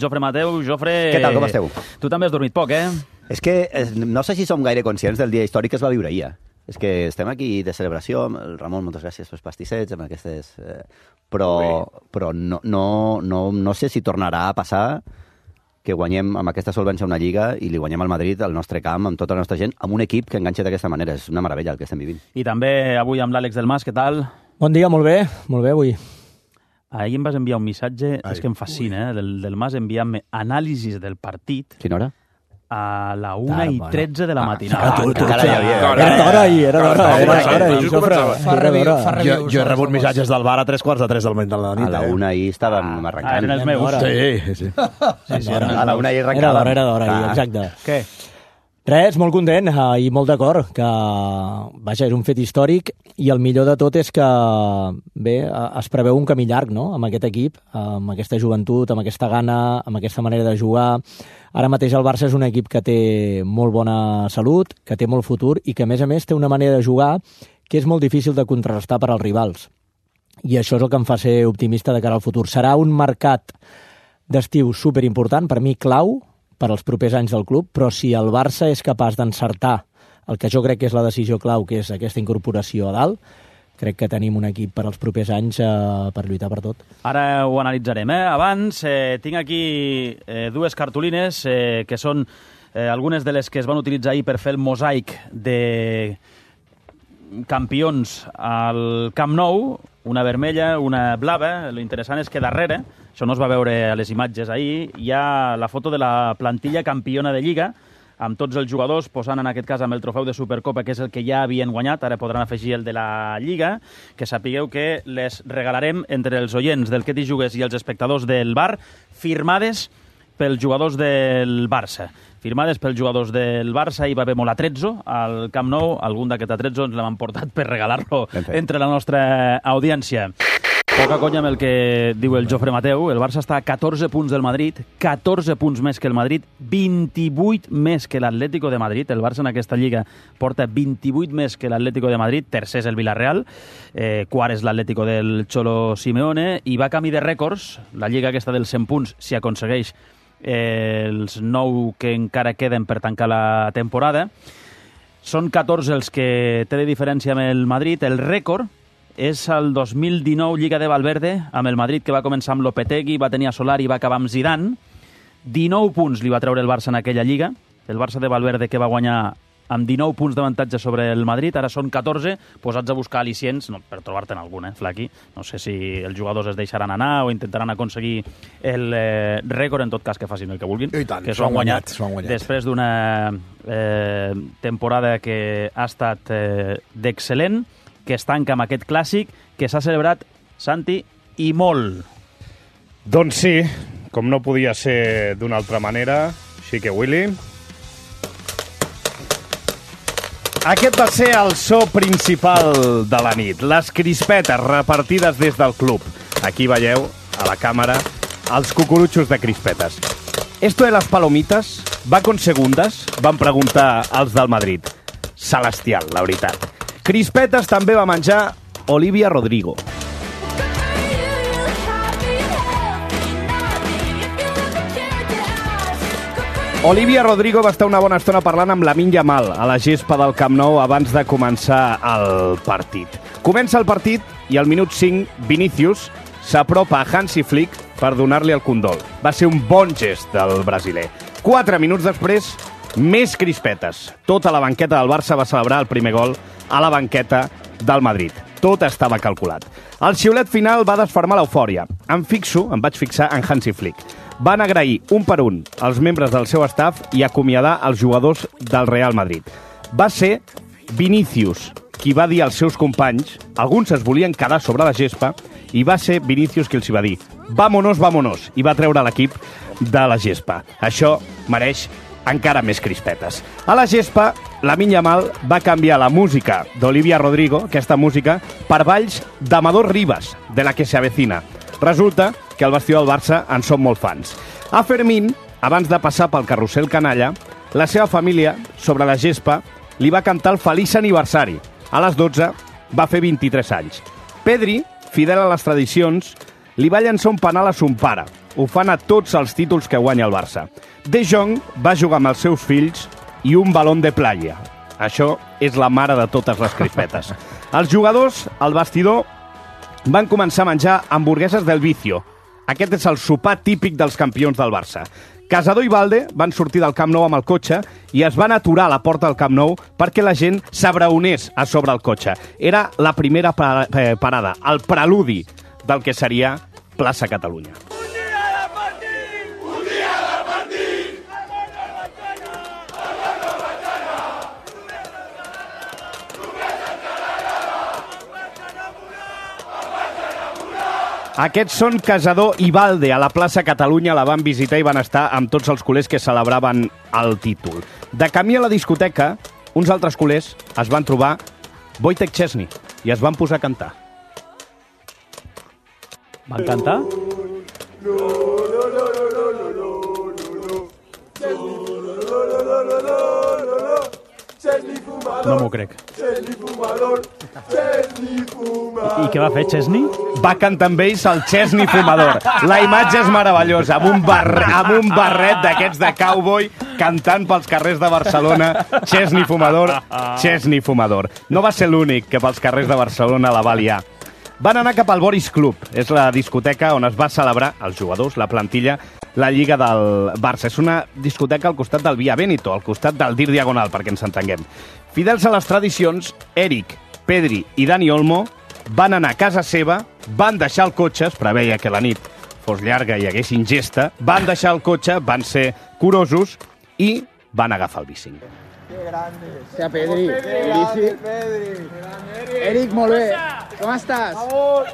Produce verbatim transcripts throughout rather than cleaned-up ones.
Jofre Mateu. Jofre... Què tal, com esteu? Tu també has dormit poc, eh? És que no sé si som gaire conscients del dia històric que es va viure ahir. És que estem aquí de celebració, amb el Ramon, moltes gràcies pels pastissets, amb aquestes... Eh, però però no, no, no, no sé si tornarà a passar que guanyem amb aquesta solvència una lliga i li guanyem al Madrid al nostre camp, amb tota la nostra gent, amb un equip que enganxa d'aquesta manera. És una meravella el que estem vivint. I també avui amb l'Àlex del Mas, què tal? Bon dia, molt bé, molt bé avui. Ahir em vas enviar un missatge, Ai. és que em fascina, eh, del, del Mas enviant-me anàlisis del partit Quina hora? a la una Tard, i bueno. tretze de la matinada. Ah, tu, tu, encara hi havia. Era d'hora ahir, era d'hora, era d'hora ahir, Just Jofre. començava. Fa review, Era fa d'hora. review. Jo, jo he rebut missatges del bar a tres quarts de tres del matí de la A nit. la eh? una ahir estàvem Ah, arrencant. eren els meus. Sí, sí. Sí, sí, eren els A la meus. una ahir Era arrencàvem. d'hora, era d'hora ahir, Ah. exacte. Què? Res, molt content eh, i molt d'acord que, vaja, és un fet històric i el millor de tot és que, bé, eh, es preveu un camí llarg, no?, amb aquest equip, amb aquesta joventut, amb aquesta gana, amb aquesta manera de jugar. Ara mateix el Barça és un equip que té molt bona salut, que té molt futur i que, a més a més, té una manera de jugar que és molt difícil de contrarrestar per als rivals. I això és el que em fa ser optimista de cara al futur. Serà un mercat d'estiu superimportant, per mi clau, per als propers anys del club, però si el Barça és capaç d'encertar el que jo crec que és la decisió clau, que és aquesta incorporació a dalt, crec que tenim un equip per als propers anys eh, per lluitar per tot. Ara ho analitzarem, eh? Abans eh, tinc aquí eh, dues cartolines eh, que són eh, algunes de les que es van utilitzar ahir per fer el mosaic de campions al Camp Nou, una vermella, una blava. Lo interessant és que darrere, això no es va veure a les imatges ahir, hi ha la foto de la plantilla campiona de Lliga, amb tots els jugadors posant en aquest cas amb el trofeu de Supercopa, que és el que ja havien guanyat, ara podran afegir el de la Lliga, que sapigueu que les regalarem entre els oients del Que t'hi jugues i els espectadors del bar, firmades pels jugadors del Barça. Firmades pels jugadors del Barça, hi va haver molt atrezzo al Camp Nou, algun d'aquest atrezzo ens l'hem portat per regalar-lo entre la nostra audiència. Poca conya amb el que diu el Jofre Mateu. El Barça està a catorze punts del Madrid, catorze punts més que el Madrid, vint-i-vuit més que l'Atlético de Madrid. El Barça en aquesta lliga porta vint-i-vuit més que l'Atlético de Madrid. Tercer és el Villarreal, eh, quart és l'Atlético del Cholo Simeone, i va a camí de rècords. La lliga aquesta dels cent punts, si aconsegueix eh, els nou que encara queden per tancar la temporada. Són catorze els que té de diferència amb el Madrid. El rècord és el dos mil dinou Lliga de Valverde, amb el Madrid, que va començar amb Lopetegui, va tenir a Solari i va acabar amb Zidane. dinou punts li va treure el Barça en aquella Lliga. El Barça de Valverde, que va guanyar amb dinou punts d'avantatge sobre el Madrid, ara són catorze, posats a buscar al·licients, no, per trobar-te'n algun, eh, Flaqui. No sé si els jugadors es deixaran anar o intentaran aconseguir el eh, rècord, en tot cas que facin el que vulguin. I tant, que s'ho han guanyat, s'ho han guanyat. Després d'una eh, temporada que ha estat eh, d'excel·lent, que es tanca amb aquest clàssic que s'ha celebrat, Santi, i molt. Doncs sí, com no podia ser d'una altra manera, així que Willy... Aquest va ser el so principal de la nit, les crispetes repartides des del club. Aquí veieu, a la càmera, els cucurutxos de crispetes. Esto de las palomitas va con segundas? Van preguntar els del Madrid. Celestial, la veritat. Crispetes també va menjar Olivia Rodrigo. Olivia Rodrigo va estar una bona estona parlant amb Lamine Yamal a la gespa del Camp Nou abans de començar el partit. Comença el partit i al minut cinc Vinícius s'apropa a Hansi Flick per donar-li el condol. Va ser un bon gest del brasiler. Quatre minuts després, més crispetes. Tota la banqueta del Barça va celebrar el primer gol a la banqueta del Madrid. Tot estava calculat. El xiulet final va desfermar l'eufòria. Em fixo, em vaig fixar en Hansi Flick. Van agrair un per un als membres del seu staff i acomiadar els jugadors del Real Madrid. Va ser Vinícius qui va dir als seus companys, alguns es volien quedar sobre la gespa, i va ser Vinícius qui els hi va dir «Vámonos, vámonos», i va treure l'equip de la gespa. Això mereix encara més crispetes. A la gespa, Lamine Yamal va canviar la música d'Olivia Rodrigo, aquesta música, per balls d'Amador Rivas, de la que se avecina. Resulta que al vestidor del Barça en són molt fans. A Fermín, abans de passar pel carrusel canalla, la seva família, sobre la gespa, li va cantar el feliç aniversari. A les dotze va fer vint-i-tres anys. Pedri, fidel a les tradicions, li va llançar un penal a son pare. ho fan a tots els títols que guanya el Barça. De Jong va jugar amb els seus fills i un balón de playa. Això és la mare de totes les crispetes. Els jugadors, al vestidor, van començar a menjar hamburgueses del Vicio. Aquest és el sopar típic dels campions del Barça. Casador i Valde van sortir del Camp Nou amb el cotxe i es van aturar a la porta del Camp Nou perquè la gent s'abraonés a sobre el cotxe. Era la primera parada, el preludi del que seria Plaça Catalunya. Aquests són Casador i Valde. A la plaça Catalunya la van visitar i van estar amb tots els culers que celebraven el títol. De camí a la discoteca, uns altres culers es van trobar Wojtek Szczesny i es van posar a cantar. Van cantar? No m'ho crec. I què va fer Szczesny? Va cantar amb ells el Szczesny fumador. La imatge és meravellosa, amb un, barre, amb un barret d'aquests de cowboy cantant pels carrers de Barcelona. Szczesny fumador, Szczesny fumador. No va ser l'únic que pels carrers de Barcelona la va liar. Van anar cap al Boris Club. És la discoteca on es va celebrar els jugadors, la plantilla, la Lliga del Barça. És una discoteca al costat del Via Veneto, al costat del Dir Diagonal, perquè ens entenguem. Fidels a les tradicions, Eric, Pedri i Dani Olmo van anar a casa seva, van deixar el cotxe, es preveia que la nit fos llarga i hi hagués ingesta, van deixar el cotxe, van ser curosos i van agafar el bici. Que grande. Sea Pedri. Pedri. Pedri. Eric, molt bé. Com estàs? Vamos.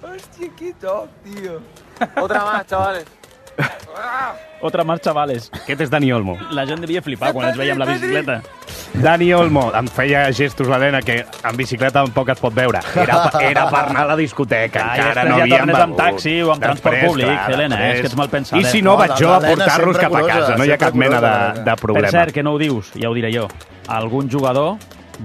Hostia, qué top, tío. Otra más, chavales. Otra más, chavales. Aquest és Dani Olmo. La gent devia flipar quan ens veia amb la bicicleta. Dani Olmo em feia gestos a l'Helena que en bicicleta tampoc es pot veure. Era, era per anar a la discoteca. Ah, encara no ja havíem tornes begut. amb taxi o amb transport Després, públic, clar, Helena, després. és que ets mal pensada. I si no, No, vaig jo a l'Helena portar-los sempre cap a casa. curosa, No hi ha cap sempre mena de, curosa, de Per problema. cert, que no ho dius, ja ho diré jo. Algun jugador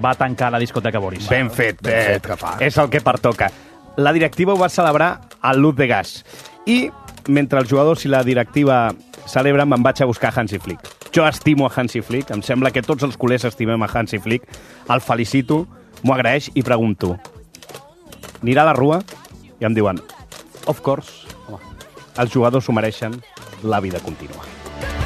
va tancar la discoteca Boris. Ben fet, Ben eh, fet que fa. és el que pertoca. La directiva ho va celebrar al Luz de Gas. I mentre els jugadors i la directiva celebren, me'n vaig a buscar Hansi Flick. Jo estimo a Hansi Flick, em sembla que tots els culers estimem a Hansi Flick. El felicito, m'ho agraeix i pregunto: anirà a la rua? I em diuen, of course, home, els jugadors s'ho mereixen, la vida continua.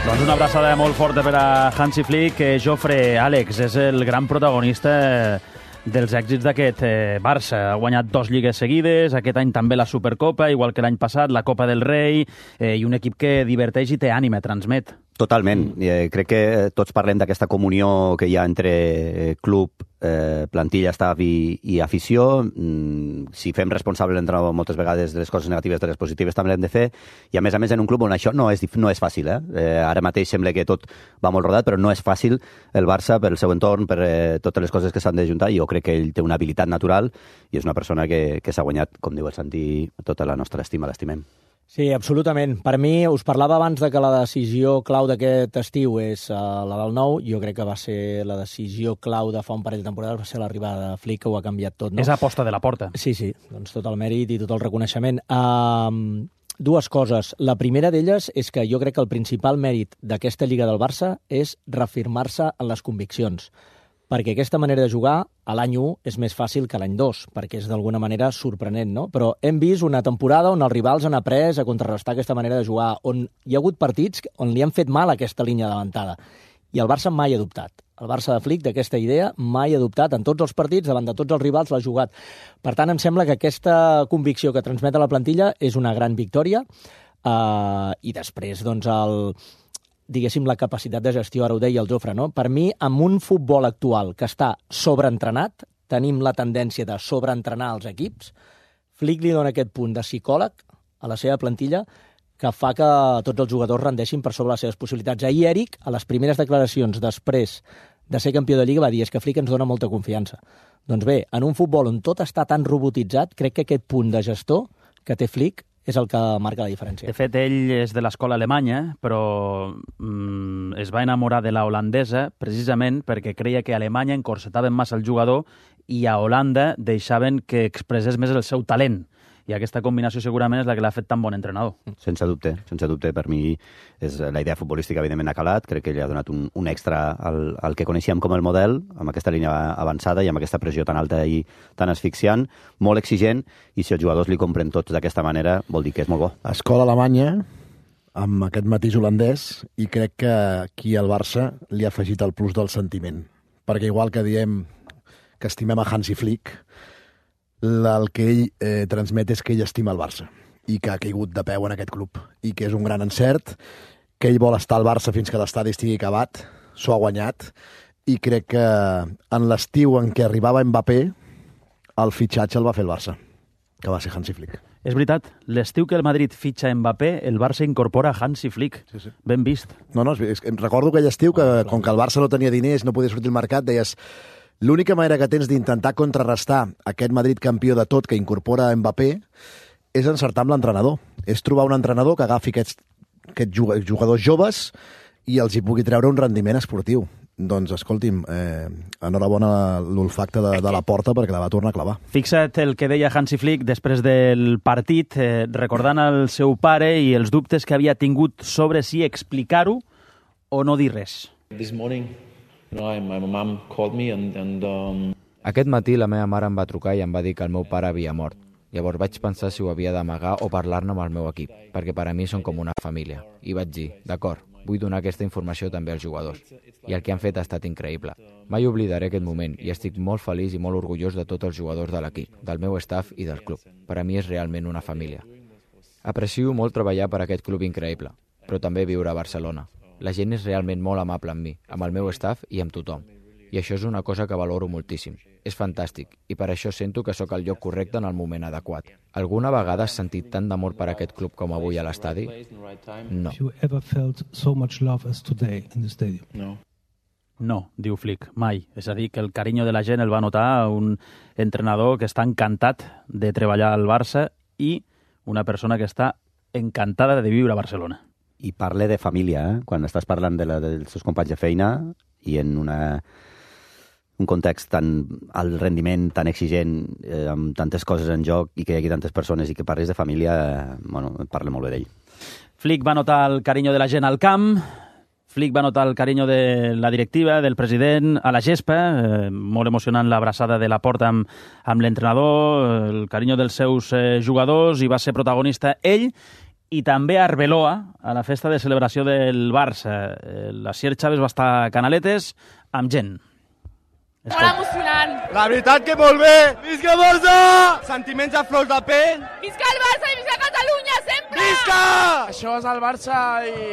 Doncs una abraçada molt forta per a Hansi Flick, que Jofre Àlex és el gran protagonista dels èxits d'aquest eh, Barça. Ha guanyat dos lligues seguides, aquest any també la Supercopa, igual que l'any passat, la Copa del Rei, eh, i un equip que diverteix i té ànima, transmet. Totalment. Mm. Eh, crec que tots parlem d'aquesta comunió que hi ha entre club, eh, plantilla, staff i, i afició. Mm, si fem responsable l'entrenador moltes vegades de les coses negatives, de les positives també l'hem de fer. I a més a més en un club on això no és, no és fàcil. Eh? Eh, ara mateix sembla que tot va molt rodat, però no és fàcil el Barça per el seu entorn, per eh, totes les coses que s'han d'ajuntar. Jo crec que ell té una habilitat natural i és una persona que, que s'ha guanyat, com diu el Santi, tota la nostra estima, l'estimem. Sí, absolutament. Per mi, us parlava abans de que la decisió clau d'aquest estiu és uh, la del nou. Jo crec que va ser la decisió clau de fa un parell de temporades, va ser l'arribada de Flick, que ho ha canviat tot, no? És aposta de la porta. Sí, sí, doncs tot el mèrit i tot el reconeixement. Uh, dues coses. La primera d'elles és que jo crec que el principal mèrit d'aquesta Lliga del Barça és reafirmar-se en les conviccions, perquè aquesta manera de jugar a l'any u és més fàcil que a l'any dos, perquè és d'alguna manera sorprenent, no? Però hem vist una temporada on els rivals han après a contrarrestar aquesta manera de jugar, on hi ha hagut partits on li han fet mal aquesta línia davantada, i el Barça mai ha dubtat. El Barça de Flick, d'aquesta idea, mai ha dubtat en tots els partits, davant de tots els rivals, l'ha jugat. Per tant, em sembla que aquesta convicció que transmet a la plantilla és una gran victòria, uh, i després, doncs, el... diguéssim, la capacitat de gestió, ara ho deia el Jofre, no? Per mi, amb un futbol actual que està sobreentrenat, tenim la tendència de sobreentrenar els equips, Flick li dona aquest punt de psicòleg a la seva plantilla que fa que tots els jugadors rendeixin per sobre les seves possibilitats. Ahir Eric, a les primeres declaracions després de ser campió de Lliga, va dir és que Flick ens dona molta confiança. Doncs bé, en un futbol on tot està tan robotitzat, crec que aquest punt de gestor que té Flick és el que marca la diferència. De fet, ell és de l'escola alemanya, però mm, es va enamorar de la holandesa precisament perquè creia que a Alemanya encorsetaven massa el jugador i a Holanda deixaven que expressés més el seu talent. i aquesta combinació segurament és la que l'ha fet tan bon entrenador. Sense dubte, sense dubte. Per mi és la idea futbolística, evidentment, ha calat. Crec que li ha donat un, un extra al, al que coneixíem com el model, amb aquesta línia avançada i amb aquesta pressió tan alta i tan asfixiant, molt exigent, i si els jugadors li compren tots d'aquesta manera, vol dir que és molt bo. Escola alemanya, amb aquest matís holandès, i crec que aquí al Barça li ha afegit el plus del sentiment. Perquè igual que diem que estimem a Hansi Flick, el que ell eh, transmet és que ell estima el Barça i que ha caigut de peu en aquest club i que és un gran encert, que ell vol estar al Barça fins que l'estadi estigui acabat, s'ho ha guanyat, i crec que en l'estiu en què arribava Mbappé, el fitxatge el va fer el Barça, que va ser Hansi Flick. És veritat, l'estiu que el Madrid fitxa Mbappé, el Barça incorpora Hansi Flick. Sí, sí. Ben vist. No, no, és, és, recordo aquell estiu que, oh, com que el Barça no tenia diners, no podia sortir al mercat, deies, l'única manera que tens d'intentar contrarrestar aquest Madrid campió de tot que incorpora Mbappé és encertar amb l'entrenador. És trobar un entrenador que agafi aquests, aquests jugadors joves i els hi pugui treure un rendiment esportiu. Doncs, escolti'm, eh, enhorabona l'olfacte de, de la porta perquè la va tornar a clavar. Fixa't el que deia Hansi Flick després del partit, eh, recordant el seu pare i els dubtes que havia tingut sobre si explicar-ho o no dir res. This morning, you know, my mom called me and, and um... Aquest matí la meva mare em va trucar i em va dir que el meu pare havia mort. Llavors vaig pensar si ho havia d'amagar o parlar-ne amb el meu equip, perquè per a mi són com una família. I vaig dir, d'acord, vull donar aquesta informació també als jugadors. I el que han fet ha estat increïble. Mai oblidaré aquest moment i estic molt feliç i molt orgullós de tots els jugadors de l'equip, del meu staff i del club. Per a mi és realment una família. Aprecio molt treballar per aquest club increïble, però també viure a Barcelona. La gent és realment molt amable amb mi, amb el meu staff i amb tothom. I això és una cosa que valoro moltíssim. És fantàstic, i per això sento que sóc al lloc correcte en el moment adequat. Alguna vegada has sentit tant d'amor per aquest club com avui a l'estadi? No. No. No, diu Flick, mai. És a dir, que el carinyo de la gent el va notar un entrenador que està encantat de treballar al Barça i una persona que està encantada de viure a Barcelona. I parle de família, eh? Quan estàs parlant de la, dels seus companys de feina i en una, un context tan alt rendiment, tan exigent, eh, amb tantes coses en joc i que hi hagi tantes persones i que parles de família, eh, bueno, parla molt bé d'ell. Flick va notar el carinyo de la gent al camp, Flick va notar el carinyo de la directiva, del president, a la gespa, eh, molt emocionant l'abraçada de la porta amb, amb l'entrenador, el carinyo dels seus eh, jugadors, i va ser protagonista ell, i també a Arbeloa, a la festa de celebració del Barça. La Sier Chávez va estar a Canaletes amb gent. Molt emocionant. La veritat que molt bé. Visca Barça! Sentiments a flors de pell. Visca el Barça i visca Catalunya, sempre! Visca! Això és el Barça i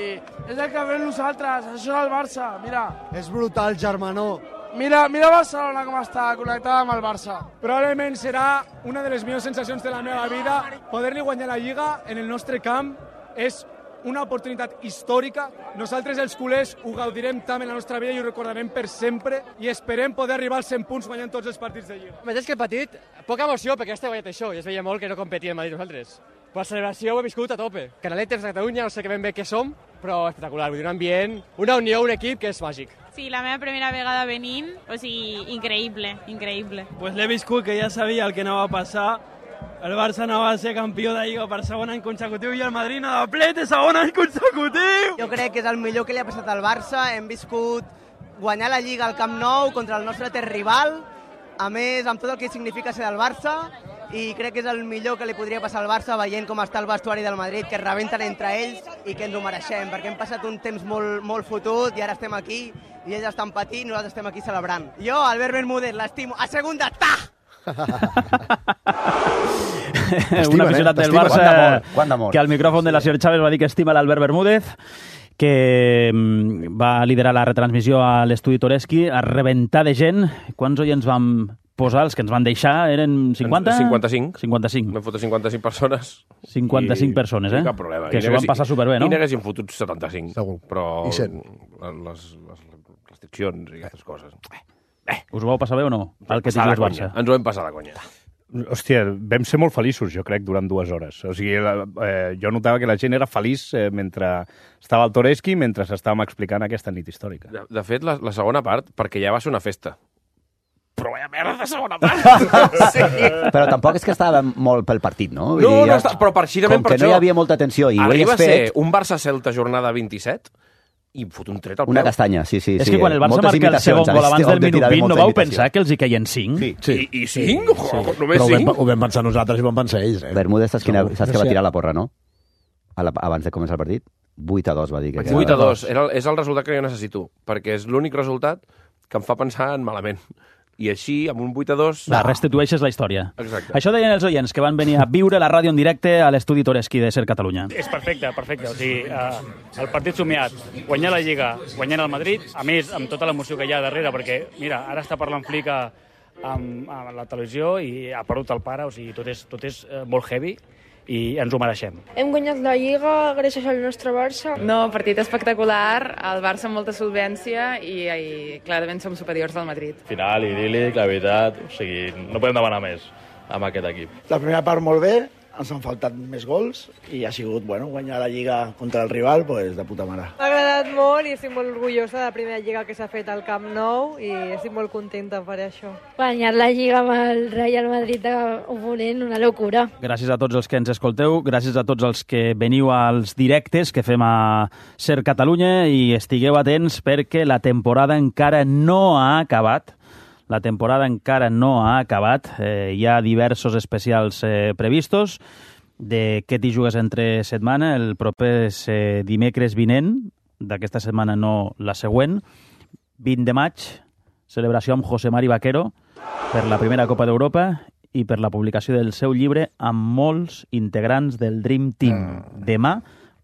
és el que fem nosaltres. Això és el Barça, mira. És brutal, germanó. Mira, mira Barcelona com està connectada amb el Barça. Probablement serà una de les millors sensacions de la meva vida. Poder-li guanyar la Lliga en el nostre camp és una oportunitat històrica. Nosaltres, els culers, ho gaudirem tant en la nostra vida i ho recordarem per sempre i esperem poder arribar als cent punts guanyant tots els partits de Lliga. Més que el partit, poca emoció perquè ja està guanyat això i es veia molt que no competia en Madrid nosaltres. Per la celebració ho he viscut a tope. Canaletes de Catalunya, no sé ben bé què som, però espectacular. Vull dir, un ambient, una unió, un equip que és màgic. Sí, la meva primera vegada venint, o sigui, increïble, increïble. Pues l'he viscut, que ja sabia el que anava a passar. El Barça no va ser campió de Lliga per segon any consecutiu i el Madrid no de plet de segon any consecutiu! Jo crec que és el millor que li ha passat al Barça. Hem viscut guanyar la Lliga al Camp Nou contra el nostre terrival, a més, amb tot el que significa ser del Barça, i crec que és el millor que li podria passar al Barça veient com està el vestuari del Madrid, que es rebenten entre ells i que ens ho mereixem, perquè hem passat un temps molt, molt fotut i ara estem aquí i ells estan patint i nosaltres estem aquí celebrant. Jo, Albert Bermúdez, l'estimo. A segunda, ta! Un aficionat del Barça que al micròfon de la Sier Chávez va dir que estima l'Albert Bermúdez, que va liderar la retransmissió a l'estudi Toreski, a rebentar de gent. Quants oients vam posar? Els que ens van deixar eren cinquanta? cinquanta-cinc. cinquanta-cinc. Vam fotre cinquanta-cinc persones. cinquanta-cinc I... persones, eh? Cap problema. Que s'ho van passar superbé, no? I n'haguessin fotut setanta-cinc. Segur. Però I cent. Les, les restriccions i aquestes coses... Eh. Us ho vau passar bé o no? El que tingui el Barça. Ens ho vam passar de conya. Hòstia, vam ser molt feliços, jo crec, durant dues hores. O sigui, eh, jo notava que la gent era feliç eh, mentre estava al Toreski, mentre estàvem explicant aquesta nit històrica. De, de fet, la, la segona part, perquè ja va ser una festa. però vaya merda de segona part. Sí. Però tampoc és que estava molt pel partit, no? Vull No, dir, no, està, però precisament com per que això... no hi havia molta tensió i ho arriba hagués a ser fet... un Barça-Celta jornada vint-i-set i fot un tret al peu. Una castanya, sí, sí. És sí. que quan el Barça Moltes marca el segon imitacions, gol abans del de minut tirar de vint, no molta vau imitació. pensar que els hi caien cinc? Sí. Sí. I, i cinc? Sí. Oh, només Però ho vam, cinc? ho vam pensar nosaltres i ho van pensar ells. Eh? Bermúdez, saps, quina, Segur. saps No que va sé. tirar la porra, no? A la, abans de començar el partit? vuit a dos va dir. Que vuit a dos. Era, el- és el resultat que jo necessito, perquè és l'únic resultat que em fa pensar en malament. I així, amb un vuit a dos... La restitueixes la història. Exacte. Això deien els oients que van venir a viure la ràdio en directe a l'estudi Toreschi de Ser Catalunya. És perfecte, perfecte. O sigui, eh, el partit somiat, guanyar la Lliga, guanyar el Madrid, a més, amb tota l'emoció que hi ha darrere, perquè, mira, ara està parlant Flick a, amb, amb la televisió i ha perdut el pare, o sigui, tot és, tot és eh, molt heavy i ens ho mereixem. Hem guanyat la Lliga gràcies al nostre Barça. No, partit espectacular, el Barça amb molta solvència i, i clarament som superiors al Madrid. Final idíl·lic, la veritat, o sigui, no podem demanar més amb aquest equip. La primera part molt bé, ens han faltat més gols i ha sigut, bueno, guanyar la Lliga contra el rival, pues, de puta mare. M'ha agradat molt i estic molt orgullosa de la primera Lliga que s'ha fet al Camp Nou i estic molt contenta per això. Guanyar la Lliga amb el Real Madrid d'oponent, una locura. Gràcies a tots els que ens escolteu, gràcies a tots els que veniu als directes que fem a Ser Catalunya i estigueu atents perquè la temporada encara no ha acabat. La temporada encara no ha acabat. Eh, hi ha diversos especials eh, previstos de què t'hi jugues entre setmana. El proper és eh, dimecres vinent, d'aquesta setmana no la següent, vint de maig, celebració amb José Mari Vaquero per la primera Copa d'Europa i per la publicació del seu llibre amb molts integrants del Dream Team. Demà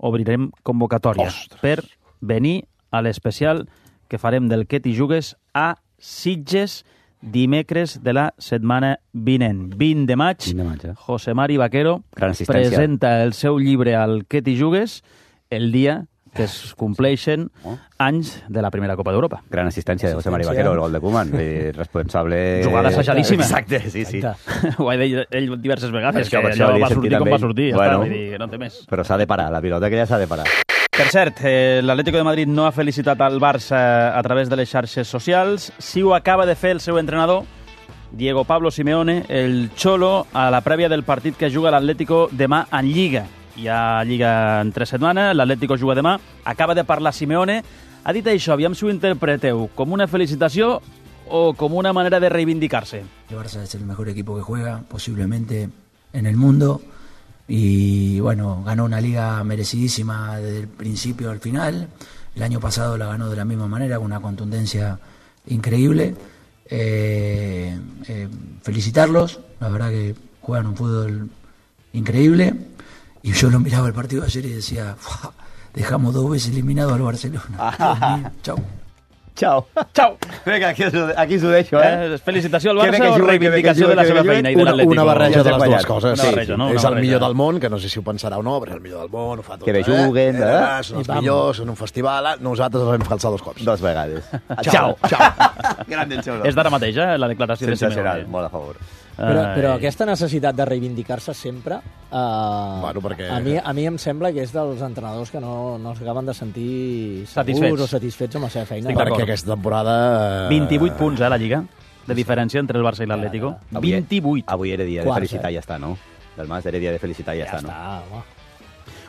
obrirem convocatòria Ostres. per venir a l'especial que farem del què t'hi jugues a Sitges dimecres de la setmana vinent. vint de maig, vint de maig eh? José Mari Vaquero Gran assistència. presenta el seu llibre al què t'hi jugues el dia que es compleixen Oh. anys de la primera Copa d'Europa. Gran assistència de José Mari Vaquero, el gol de Koeman. Eh, responsable... Jugada assajadíssima. Exacte, sí, sí. Ho ha dit ell diverses vegades, És que per això allò li he va sentit sortir com amb va ell. sortir. Ja Bueno. està, vull dir que no té més. Però s'ha de parar, la pilota que ja s'ha de parar. Per cert, eh, l'Atlético de Madrid no ha felicitat al Barça a través de les xarxes socials. Sí ho acaba de fer el seu entrenador, Diego Pablo Simeone, el Cholo, a la prèvia del partit que juga l'Atlético demà en Lliga. Hi ha Lliga en tres setmanes, l'Atlético juga demà. Acaba de parlar Simeone. Ha dit això, aviam si ho interpreteu, com una felicitació o com una manera de reivindicarse. El Barça es el mejor equipo que juega, posiblemente en el mundo. Y bueno, ganó una liga merecidísima desde el principio al final. El año pasado la ganó de la misma manera, con una contundencia increíble. Eh, eh, felicitarlos, la verdad que juegan un fútbol increíble. Y yo lo miraba el partido de ayer y decía, "Fua, dejamos dos veces eliminado al Barcelona. Dios mío, chau. Chao. Chao. Vinga, aquí, aquí s'ho deixo, eh? eh felicitació al Que bé Barça que o juguen, reivindicació que bé que de la seva juguen. feina i de Una, l'Atlético? una barreja de les dues guanyat. coses. Una barreja, sí. no? Una És el barreja. millor del món, que no sé si ho pensarà o no, però és el millor del món, ho fa tot. Que bé eh? juguen, eh? eh? Són els I vam. millors, són un festival. eh? Nosaltres els vam calçar dos cops. Dos vegades. Ciao. Ciao. Gran del Cholo. És d'ara mateix, eh, la declaració de Sensacional, Simeone. molt a favor. Però, però Ai. aquesta necessitat de reivindicar-se sempre, eh, Bueno, perquè- a, mi, a mi em sembla que és dels entrenadors que no, no s'acaben de sentir Satisfets. segurs o satisfets amb la seva feina. Estic d'acord. Perquè aquesta temporada... eh, vint-i-vuit punts, eh, la Lliga, de diferència entre el Barça i l'Atlético. Avui- vint-i-vuit. Avui era dia de Quarts, felicitar eh? i ja està, no? Del Mas era dia de felicitar i ja, Ja està, no? està, home.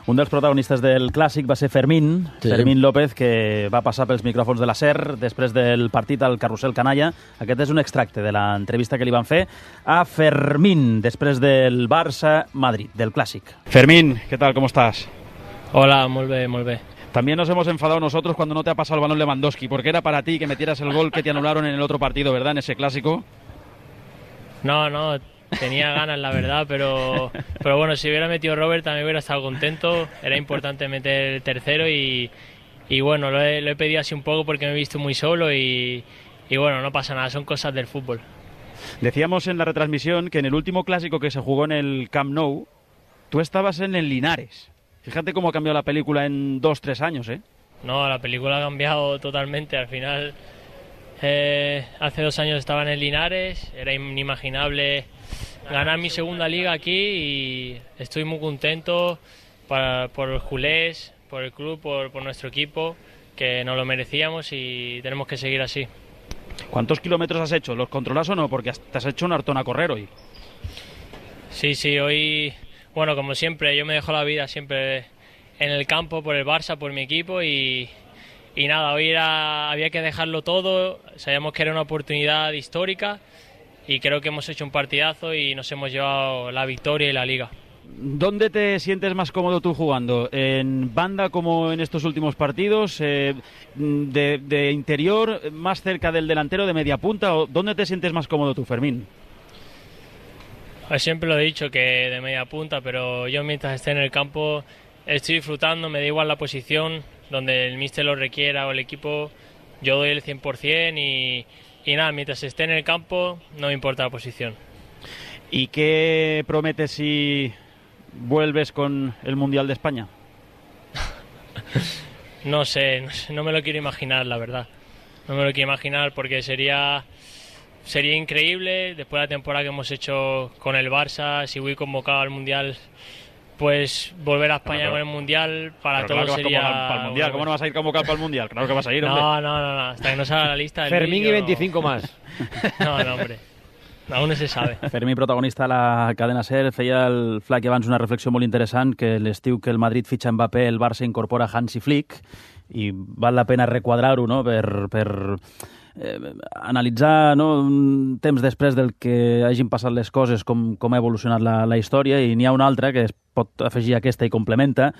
Un dels protagonistes del Clàssic va ser Fermín, Sí. Fermín López, que va passar pels micròfons de la SER després del partit al Carrusel Canalla. Aquest és un extracte de l'entrevista que li van fer a Fermín després del Barça-Madrid, del Clàssic. Fermín, ¿qué tal? ¿Cómo estás? Hola, muy bien, muy bien. También nos hemos enfadado nosotros cuando no te ha pasado el balón Lewandowski, porque era para ti que metieras el gol que te anularon en el otro partido, ¿verdad? En ese Clásico. No, no, tenía ganas, la verdad, pero, pero bueno, si hubiera metido Robert también hubiera estado contento. Era importante meter el tercero y, y bueno, lo he, lo he pedido así un poco porque me he visto muy solo y, y bueno, no pasa nada, son cosas del fútbol. Decíamos en la retransmisión que en el último Clásico que se jugó en el Camp Nou, tú estabas en el Linares. Fíjate cómo ha cambiado la película en dos, tres años, ¿eh? No, la película ha cambiado totalmente. Al final, eh, hace dos años estaba en el Linares, era inimaginable ganar mi segunda liga aquí y estoy muy contento para, por los culés, por el club, por, por nuestro equipo, que nos lo merecíamos y tenemos que seguir así. ¿Cuántos kilómetros has hecho? ¿Los controlas o no? Porque te has hecho un hartón a correr hoy. Sí, sí, hoy, bueno, como siempre, yo me dejo la vida siempre en el campo por el Barça, por mi equipo y, y nada, hoy era, había que dejarlo todo, sabíamos que era una oportunidad histórica y creo que hemos hecho un partidazo y nos hemos llevado la victoria y la Liga. ¿Dónde te sientes más cómodo tú jugando? ¿En banda como en estos últimos partidos? Eh, de, ¿De interior, más cerca del delantero, de media punta? ¿O dónde te sientes más cómodo tú, Fermín? Pues siempre lo he dicho, que de media punta, pero yo mientras esté en el campo estoy disfrutando, me da igual la posición, donde el míster lo requiera o el equipo, yo doy el cien por ciento y, y nada, mientras esté en el campo no me importa la posición. ¿Y qué prometes si vuelves con el Mundial de España? No sé, no sé, no me lo quiero imaginar, la verdad. No me lo quiero imaginar porque sería, sería increíble, después de la temporada que hemos hecho con el Barça, si voy convocado al Mundial, pues volver a España claro, con el Mundial para todos claro sería... Para el Mundial. ¿Cómo no vas a ir convocado para el Mundial? Claro que vas a ir, hombre. No, no, no, no. Hasta que no salga la lista del Fermín vídeo, y veinticinco no... más. No, no, hombre. Aún no se sabe. Fermí, protagonista de la cadena SER, feia el Flac abans una reflexió molt interessant, que l'estiu que el Madrid fitxa Mbappé, el Barça incorpora Hansi Flick, i val la pena requadrar-ho, no?, per, per eh, analitzar, no?, un temps després del que hagin passat les coses, com, com ha evolucionat la, la història, i n'hi ha una altra que es pot afegir a aquesta i complementa.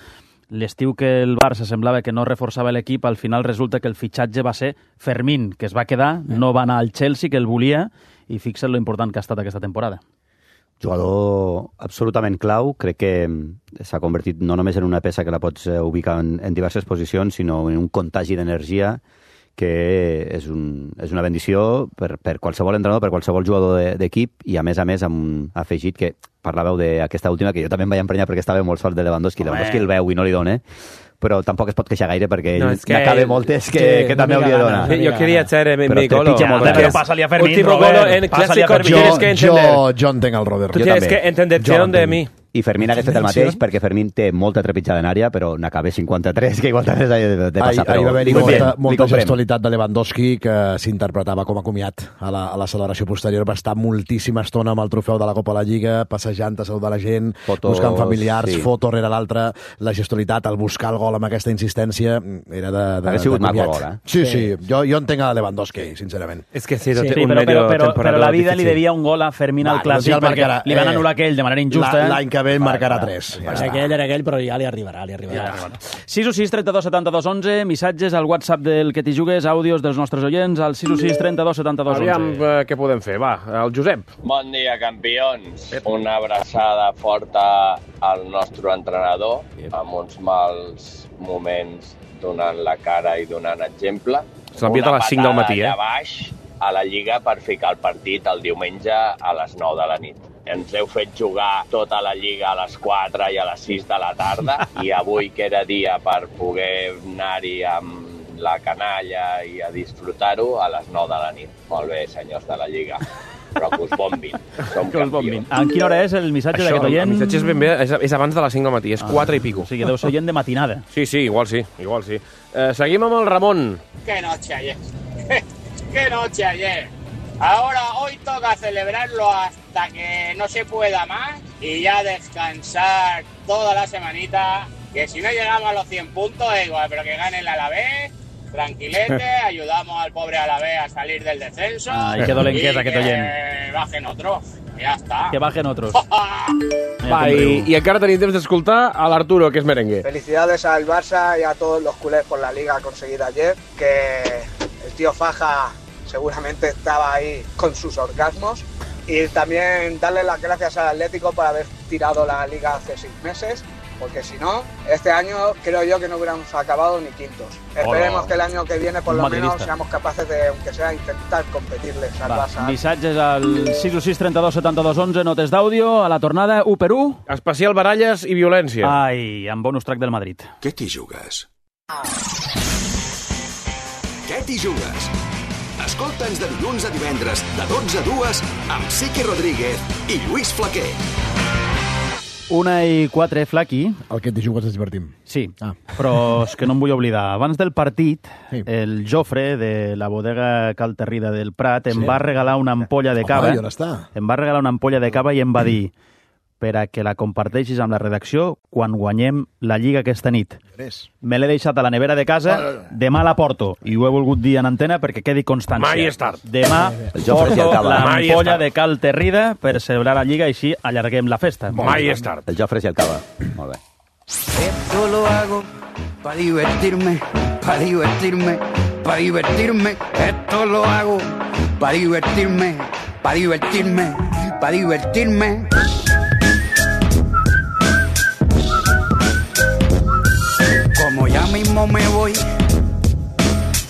L'estiu que el Barça semblava que no reforçava l'equip, al final resulta que el fitxatge va ser Fermín, que es va quedar, no va anar al Chelsea, que el volia, i fixa't lo important que ha estat aquesta temporada. Jugador absolutament clau, crec que s'ha convertit no només en una peça que la pots ubicar en, en diverses posicions, sinó en un contagi d'energia que és, un, és una bendició per, per qualsevol entrenador, per qualsevol jugador d'equip, i a més a més amb un afegit que parlàveu d'aquesta última, que jo també em vaig emprenyar perquè estava molt sol de Lewandowski. Home. Lewandowski el veu i no li dona, però tampoc es pot queixar gaire perquè ell no, es que n'acaba moltes que, que, que també hauria de donar. Yo quería hacer mi, mi gol. Pero pásale a Fermín, último Robert. Gol en clásico, yo, tienes que entender. Yo, yo entenc el Robert. Tú tienes que entender de mi. I Fermín hagués fet el mateix perquè Fermín té molta trepitjada en àrea, però n'acaba cinquanta-tres, que igual també s'ha de, de passar. Ahir va haver-hi molta, molta gestualitat de Lewandowski que s'interpretava com a comiat a la, a la celebració posterior. Va estar moltíssima estona amb el trofeu de la Copa de la Lliga, passejant a saludar la gent, Fotos, buscant familiars, sí. Foto rere l'altra, la gestualitat, el buscar el gol amb aquesta insistència, era de, de, ha sigut de maco gol, eh? Sí, sí, jo, jo entenc a Lewandowski, sincerament. És que sí, sí, sí però, però, però, però la vida difícil. Li devia un gol a Fermín al clàssic perquè marcarà, li van anul·lar aquell de manera injusta. L'any que ve en marcarà tres. Ja aquell era aquell, però ja li arribarà, li arribarà. Ja. sis u sis, trenta-dos, setanta-dos, onze, missatges al WhatsApp del Que t'hi jugues, àudios dels nostres oients, al sis u sis, trenta-dos, setanta-dos, onze. Aviam uh, què podem fer, va, el Josep. Bon dia, campions. Una abraçada forta al nostre entrenador, amb uns mals moments donant la cara i donant exemple. S'ha enviat a les cinc del matí, eh? Una patada allà baix a la Lliga per ficar el partit el diumenge a les nou de la nit. Ens heu fet jugar tota la Lliga a les quatre i a les sis de la tarda i avui, que era dia per poder anar-hi amb la canalla i a disfrutar-ho, a les nou de la nit. Molt bé, senyors de la Lliga. Però que us bombin. Som que us bombin. En quina hora és el missatge d'aquest oient? El missatge és ben bé, és, és abans de les cinc del matí, és ah, quatre i pico. O sigui, deu ser oient de matinada. Sí, sí, igual sí, igual sí. Eh, seguim amb el Ramon. Que noche ayer. Que noche ayer. Ahora, hoy toca celebrarlo hasta que no se pueda más y ya descansar toda la semanita, que si no llegamos a los cien puntos, igual, pero que gane el Alavés, tranquilete, ayudamos al pobre Alavés a salir del descenso. Ay, qué dolenquesa que te oyen. Que bajen otros, ya está. Que bajen otros. Va, i, i encara tenim temps d'escoltar a l'Arturo, que és merengue. Felicidades al Barça y a todos los culés por la liga conseguida ayer, que el tío Faja seguramente estaba ahí con sus orgasmos, y también darle las gracias al Atlético por haber tirado la liga hace seis meses, porque si no, este año creo yo que no hubiéramos acabado ni quintos. Hola. Esperemos que el año que viene por lo menos seamos capaces de, aunque sea, intentar competirles al Barça. Missatges al sis u sis, trenta-dos, setanta-dos, onze, notes d'àudio, a la tornada, u per u. Especial baralles i violència. Ai, amb bonus track del Madrid. Què t'hi jugues? Què t'hi jugues? Escolta'ns de dilluns a divendres, de dotze a dues, amb Siqui Rodríguez i Lluís Flaquer. Una i quatre, Flaqui. El que t'hi jugues ens divertim. Sí, ah. però és que no em vull oblidar. Abans del partit, sí. el Jofre, de la bodega Cal Terrida del Prat, em sí. va regalar una ampolla de cava. Home, i on està? Em va regalar una ampolla de cava i em va dir per a que la comparteixis amb la redacció quan guanyem la Lliga aquesta nit. Me l'he deixat a la nevera de casa, demà la porto. I ho he volgut dir en antena perquè quedi constància. Mai és tard. Demà porto l'ampolla de Cal Terrida per celebrar la Lliga i així allarguem la festa. Mai és tard. El Jofre i el cava. Molt bé. Esto lo hago para divertirme, para divertirme, para divertirme. Esto lo hago para divertirme, para divertirme, para divertirme. Como ya mismo me voy,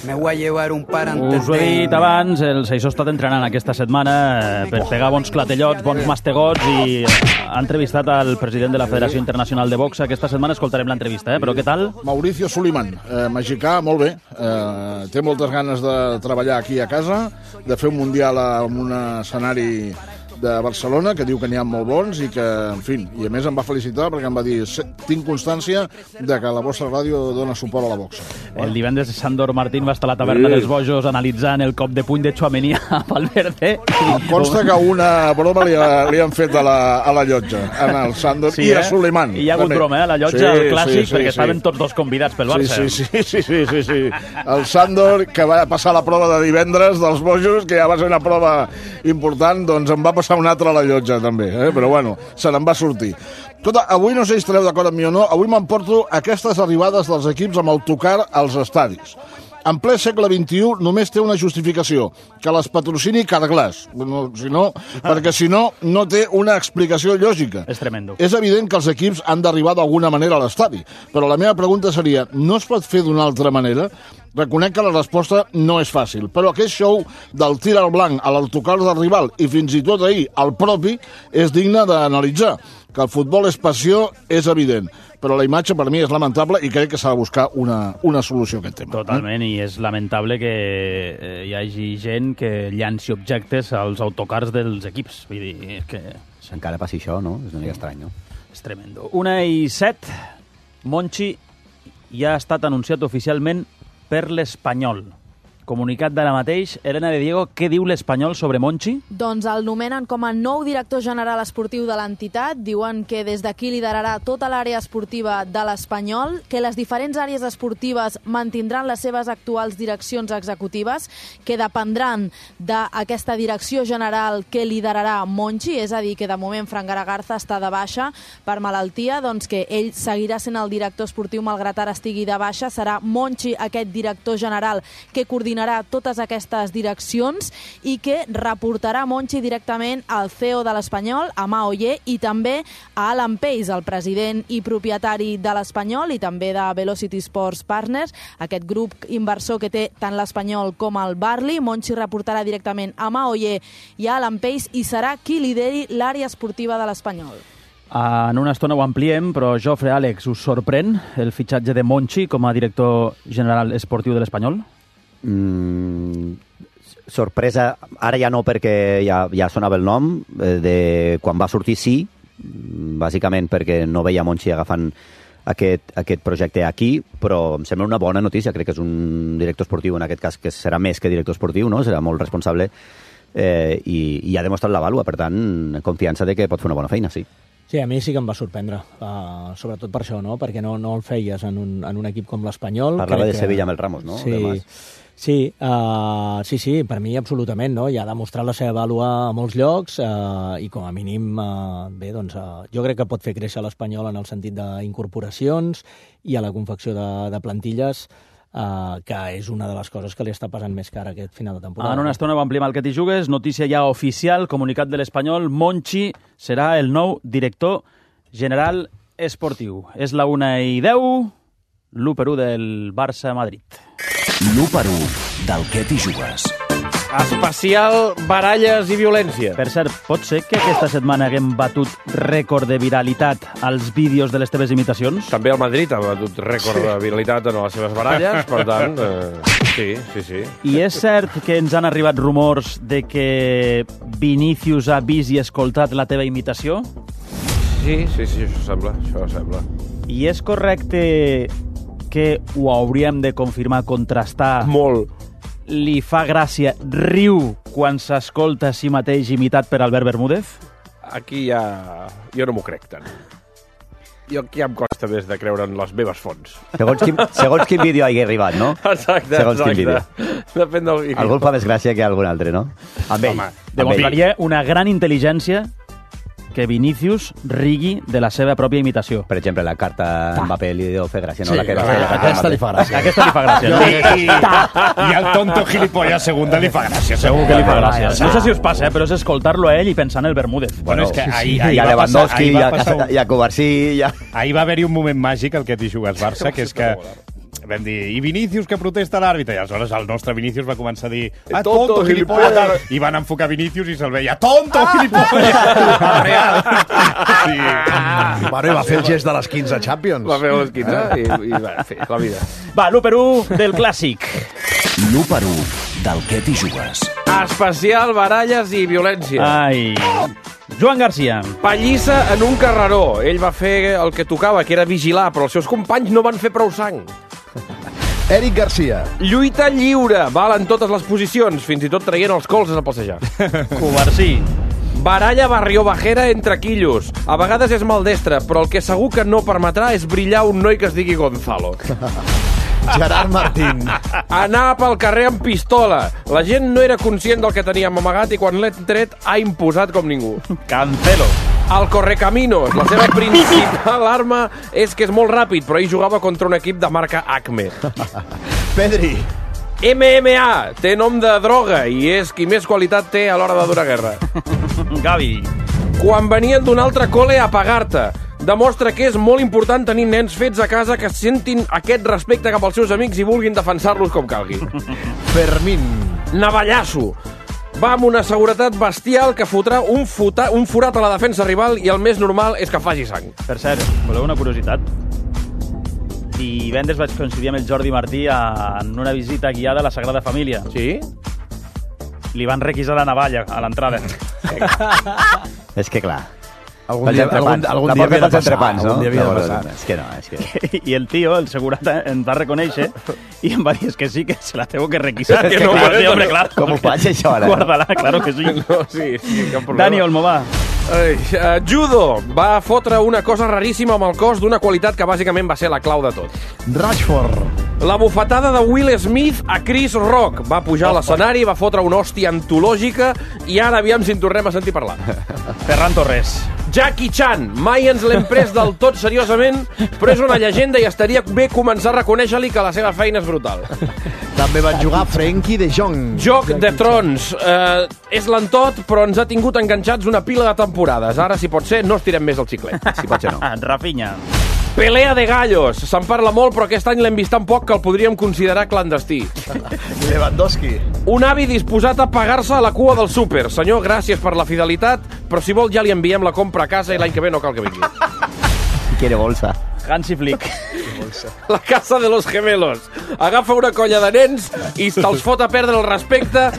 me voy a llevar un par antes Us ho he dit abans, el Seixó ha estat entrenant aquesta setmana per pegar bons clatellots, bons mastegots i ha entrevistat al president de la Federació Internacional de Boxa. Aquesta setmana escoltarem l'entrevista, eh? Però què tal? Mauricio Suleiman, eh, mexicà, molt bé. Eh, té moltes ganes de treballar aquí a casa, de fer un mundial en un escenari de Barcelona, que diu que n'hi ha molt bons i que, en fi, i a més em va felicitar perquè em va dir tinc constància de que la vostra ràdio dona suport a la boxa. El divendres Sandor Martín va estar a la taverna sí. dels Bojos analitzant el cop de puny de Tchouaméni a Valverde. Em consta que una broma li, li han fet a la, a la llotja, en el Sandor sí, i a eh? Suleiman. I hi ha hagut també. broma, eh? A la llotja, sí, el clàssic, sí, sí, perquè sí. estaven tots dos convidats pel Barça. Sí, sí, sí, sí, sí, sí. El Sandor, que va passar la prova de divendres dels Bojos, que ja va ser una prova important, doncs em va passar una altra a la llotja també, eh? Però bueno, se n'en va sortir. Escolta, avui no sé si estareu d'acord amb mi o no, avui m'emporto aquestes arribades dels equips amb autocar als estadis. En ple segle vint-i-u només té una justificació, que les patrocini Carglass. No, si no, perquè si no, no té una explicació lògica. És tremendo. És evident que els equips han d'arribar d'alguna manera a l'estadi, però la meva pregunta seria, no es pot fer d'una altra manera? Reconec que la resposta no és fàcil, però aquest show del tir al blanc a l'autocar del rival i fins i tot ahir al propi és digne d'analitzar. Que el futbol és passió és evident, però la imatge per mi és lamentable i crec que s'ha de buscar una, una solució a aquest tema. Totalment, eh? I és lamentable que eh, hi hagi gent que llanci objectes als autocars dels equips. Vull dir, que... Si encara passi això, no? És una mica estrany, no? És tremendo. Una i set, Monchi ja ha estat anunciat oficialment per l'Espanyol. Comunicat d'ara mateix. Elena de Diego, què diu l'Espanyol sobre Monchi? Doncs el nomenen com a nou director general esportiu de l'entitat. Diuen que des d'aquí liderarà tota l'àrea esportiva de l'Espanyol, que les diferents àrees esportives mantindran les seves actuals direccions executives, que dependran d'aquesta direcció general que liderarà Monchi, és a dir, que de moment Fran Garagarza està de baixa per malaltia, doncs que ell seguirà sent el director esportiu malgrat ara estigui de baixa. Serà Monchi aquest director general que coordinarà totes aquestes direccions i que reportarà Monchi directament al C E O de l'Espanyol, a Mao Ye, i també a Alan Pace, el president i propietari de l'Espanyol i també de Velocity Sports Partners, aquest grup inversor que té tant l'Espanyol com el Barley. Monchi reportarà directament a Mao Ye i a Alan Pace i serà qui lideri l'àrea esportiva de l'Espanyol. En una estona ho ampliem, però Jofre, Àlex, us sorprèn el fitxatge de Monchi com a director general esportiu de l'Espanyol? Mm, sorpresa, ara ja no perquè ja, ja sonava el nom, eh, de quan va sortir sí, bàsicament perquè no veia Monchi agafant aquest, aquest projecte aquí, però em sembla una bona notícia. Crec que és un director esportiu, en aquest cas, que serà més que director esportiu, no? Serà molt responsable eh, i, i ha demostrat la vàlua, per tant, confiança de que pot fer una bona feina, sí. Sí, a mi sí que em va sorprendre, uh, sobretot per això, no? Perquè no, no el feies en un, en un equip com l'Espanyol. Parlava Crec de Sevilla amb el Ramos, no? Sí, sí, uh, sí, sí, per mi absolutament, no? Ja ha demostrat la seva vàlua a molts llocs uh, i com a mínim, uh, bé, doncs, uh, jo crec que pot fer créixer l'Espanyol en el sentit d'incorporacions i a la confecció de, de plantilles, Uh, que és una de les coses que li està passant més cara aquest final de temporada. En una estona ho ampliem al que t'hi jugues. Notícia ja oficial, comunicat de l'Espanyol. Monchi serà el nou director general esportiu. És la una i deu, l'u per u del Barça-Madrid. l'u per u del que t'hi jugues. Especial baralles i violència. Per cert, pot ser que aquesta setmana haguem batut rècord de viralitat als vídeos de les teves imitacions? També el Madrid ha batut rècord sí. de viralitat en les seves baralles, per tant, eh, sí, sí, sí. I és cert que ens han arribat rumors de que Vinícius ha vist i escoltat la teva imitació? Sí, sí, sí, això sembla, això sembla. I és correcte que ho hauríem de confirmar, contrastar... Molt. Li fa gràcia, riu quan s'escolta a si mateix imitat per Albert Bermúdez? Aquí ja... Jo no m'ho crec tant. Jo aquí ja em costa més de creure en les meves fonts. Segons quin, segons quin vídeo hagi arribat, no? Exacte, segons exacte. Quin vídeo. Depèn del vídeo. Algú el fa més gràcia que algun altre, no? Amb ell. Home, demostraria una gran intel·ligència que Vinícius rigui de la seva pròpia imitació. Per exemple, la carta a Mbappé li deu fer gràcia, no? Sí, la que la, la, la aquesta li fa gràcia. Aquesta li fa gràcia. I, i, I el tonto gilipollas segunda li fa gràcia. Segur que li fa gràcia. No sé si us passa, eh, però és escoltar-lo a ell i pensar en el Bermúdez. Bueno, és que sí, sí. ahir, Hi ahir ha va Lewandowski, passar, hi ha, passar un... hi ha Covarsí... Hi ha... Ahir va haver-hi un moment màgic al que t'hi jugues Barça, que és que vam dir, i Vinícius que protesta l'àrbitre, i aleshores el nostre Vinícius va començar a dir, ah, tonto, gilipollas, i van enfocar Vinícius i se'l veia, tonto, gilipollas, real. Sí. Bueno, i va fer el gest de les quinze Champions. Va fer les quinze i, i va fer la vida. Va, l'u per u del clàssic. L'u per u del que t'hi jugues. Especial baralles i violència. Ai... Joan Garcia. Pallissa en un carreró. Ell va fer el que tocava, que era vigilar, però els seus companys no van fer prou sang. Eric Garcia. Lluita lliure. Val en totes les posicions, fins i tot traient els colzes a passejar. Covarsí. Baralla barriobajera entre quillos. A vegades és maldestre, però el que segur que no permetrà és brillar un noi que es digui Gonzalo. Gerard Martín. Anar pel carrer amb pistola. La gent no era conscient del que teníem amagat i quan l'he tret ha imposat com ningú. Cancelo. El Correcaminos. La seva principal arma és que és molt ràpid, però ell jugava contra un equip de marca Acme. Pedri. M M A. Té nom de droga i és qui més qualitat té a l'hora de donar guerra. Gavi. Quan venien d'un altre col·le a pagar-te. Demostra que és molt important tenir nens fets a casa que sentin aquest respecte cap als seus amics i vulguin defensar-los com calgui. Fermín. Navallasso. Va amb una seguretat bestial que fotrà un, fota, un forat a la defensa rival i el més normal és que faci sang. Per cert, voleu una curiositat? Divendres vaig coincidir amb el Jordi Martí en una visita guiada a la Sagrada Família. Sí? Li van requisar la navalla a l'entrada. És que clar... Algun dia, algun, algun dia havia de passar, entrepans, no? algun dia havia de passar. És que no, és que... I el tio, el segurata, em va reconèixer i em va dir, és que sí, que se la tengo que requisar. Es que és que no, clar, no, sí, hombre, no. claro. Com ho faig, això, ara? Guarda-la, claro que sí. No, sí, sí, cap problema. Dani Olmo, va. Ai, uh, judo. Va fotre una cosa raríssima amb el cos d'una qualitat que bàsicament va ser la clau de tot. Rashford. La bufetada de Will Smith a Chris Rock. Va pujar a l'escenari, va fotre una hòstia antològica i ara aviam si en tornem a sentir parlar. Ferran Torres. Jackie Chan. Mai ens l'hem pres del tot seriosament, però és una llegenda i estaria bé començar a reconèixer-li que la seva feina és brutal. També van jugar Frenkie de Jong. Joc de Trons. Uh, és lentot, però ens ha tingut enganxats una pila de temporades. Ara, si pot ser, no estirem més el xiclet. Si pot ser, no. Rafinha. Pelea de gallos. Se'n parla molt, però aquest any l'hem vist tan poc que el podríem considerar clandestí. Lewandowski. Un avi disposat a pagar-se a la cua del súper. Senyor, gràcies per la fidelitat, però si vol ja li enviem la compra a casa i l'any que ve no cal que vingui. Quiere bolsa. Hansi Flick. La casa de los gemelos. Agafa una colla de nens i te'ls fot a perdre el respecte,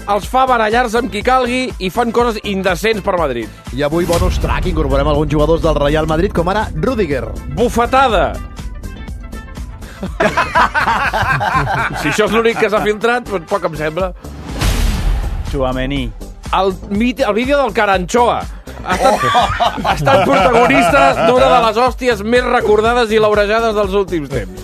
els fa barallar-se amb qui calgui i fan coses indecents per Madrid. I avui, bonus track, incorporem alguns jugadors del Real Madrid, com ara Rüdiger. Bufetada. Si això és l'únic que s'ha filtrat, doncs poc em sembla. Tchouaméni. El, el vídeo del Caranchoa. Ha estat, oh. ha estat protagonista d'una de les hòsties més recordades i laurejades dels últims temps.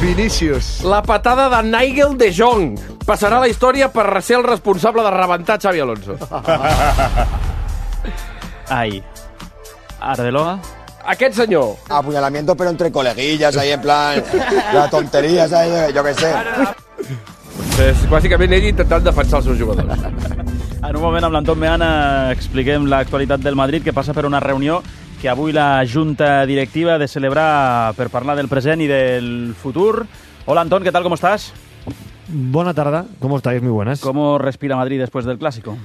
Vinícius. La patada de Nigel de Jong. Passarà a la història per ser el responsable de rebentar Xavi Alonso. Ai. Arbeloa. Aquest senyor. Apuñalamiento, pero entre coleguillas, ahí en plan... La tontería, ¿sabes? Yo qué sé. És bàsicament ell intentant defensar els seus jugadors. En un moment, amb l'Anton Meana, expliquem l'actualitat del Madrid, que passa per una reunió que avui la Junta Directiva ha de celebrar per parlar del present i del futur. Hola, Anton, ¿qué tal? ¿Cómo estás? Buena tarde, ¿cómo estáis? Muy buenas. ¿Cómo respira Madrid después del Clásico?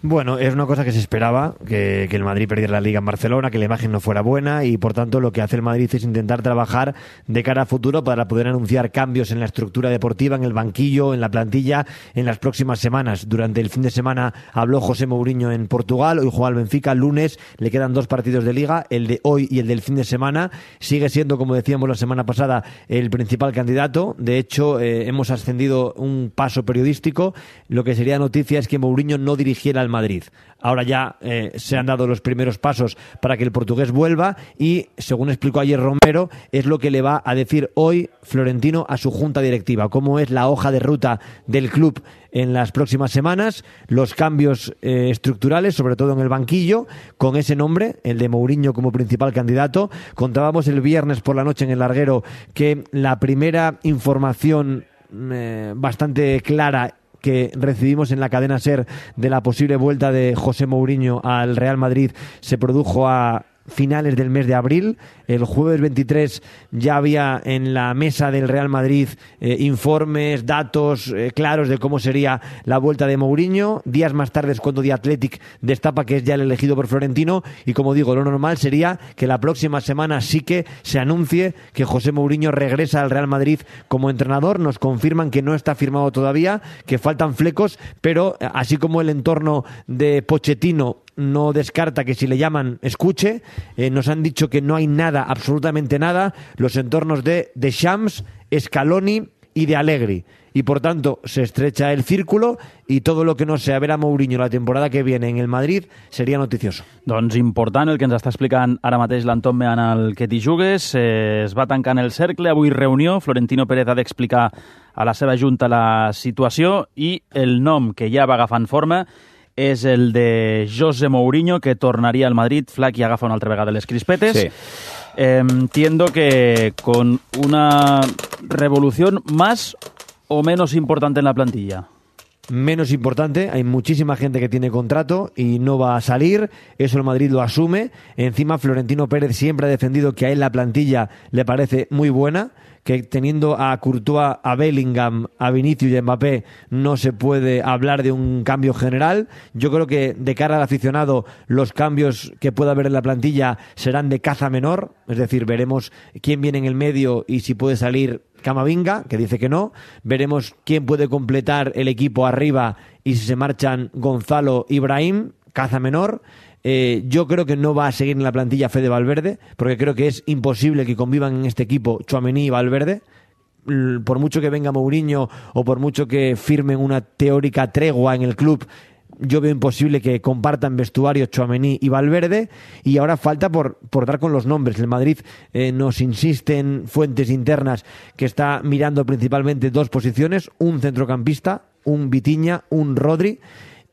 Bueno, es una cosa que se esperaba, que, que el Madrid perdiera la Liga en Barcelona, que la imagen no fuera buena y, por tanto, lo que hace el Madrid es intentar trabajar de cara a futuro para poder anunciar cambios en la estructura deportiva, en el banquillo, en la plantilla, en las próximas semanas. Durante el fin de semana habló José Mourinho en Portugal, hoy juega al Benfica, el lunes le quedan dos partidos de Liga, el de hoy y el del fin de semana. Sigue siendo, como decíamos la semana pasada, el principal candidato. De hecho, eh, hemos ascendido un paso periodístico. Lo que sería noticia es que Mourinho no dirigiera al Madrid. Ahora ya eh, se han dado los primeros pasos para que el portugués vuelva y, según explicó ayer Romero, es lo que le va a decir hoy Florentino a su junta directiva, cómo es la hoja de ruta del club en las próximas semanas, los cambios eh, estructurales, sobre todo en el banquillo, con ese nombre, el de Mourinho como principal candidato. Contábamos el viernes por la noche en el larguero que la primera información eh, bastante clara que recibimos en la cadena SER de la posible vuelta de José Mourinho al Real Madrid se produjo a finales del mes de abril. El jueves veintitrés ya había en la mesa del Real Madrid eh, informes, datos eh, claros de cómo sería la vuelta de Mourinho. Días más tarde es cuando The Athletic destapa que es ya el elegido por Florentino y, como digo, lo normal sería que la próxima semana sí que se anuncie que José Mourinho regresa al Real Madrid como entrenador. Nos confirman que no está firmado todavía, que faltan flecos, pero así como el entorno de Pochettino no descarta que si le llaman escuche, eh, nos han dicho que no hay nada, absolutamente nada, los entornos de Deschamps, Scaloni y de Allegri. Y por tanto se estrecha el círculo y todo lo que no sea ver a Mourinho la temporada que viene en el Madrid seria noticioso. Doncs important el que ens està explicant ara mateix l'Anton Mean al Que t'hi jugues. Eh, es va tancant el cercle, avui reunió, Florentino Pérez ha d'explicar a la seva junta la situació i el nom que ja va agafant forma és el de José Mourinho, que tornaria al Madrid. Flaqui agafa una altra vegada les crispetes. Sí. Eh, entiendo que con una revolución más o menos importante en la plantilla. Menos importante, hay muchísima gente que tiene contrato y no va a salir, eso el Madrid lo asume. Encima Florentino Pérez siempre ha defendido que a él la plantilla le parece muy buena, que teniendo a Courtois, a Bellingham, a Vinicius y a Mbappé no se puede hablar de un cambio general. Yo creo que de cara al aficionado los cambios que pueda haber en la plantilla serán de caza menor, es decir, veremos quién viene en el medio y si puede salir Camavinga, que dice que no. Veremos quién puede completar el equipo arriba y si se marchan Gonzalo y Brahim, caza menor. Eh, yo creo que no va a seguir en la plantilla Fede Valverde, porque creo que es imposible que convivan en este equipo Tchouaméni y Valverde. Por mucho que venga Mourinho o por mucho que firmen una teórica tregua en el club, yo veo imposible que compartan vestuario Tchouaméni y Valverde. Y ahora falta por, por dar con los nombres. El Madrid eh, nos insiste en fuentes internas que está mirando principalmente dos posiciones, un centrocampista, un Vitinha, un Rodri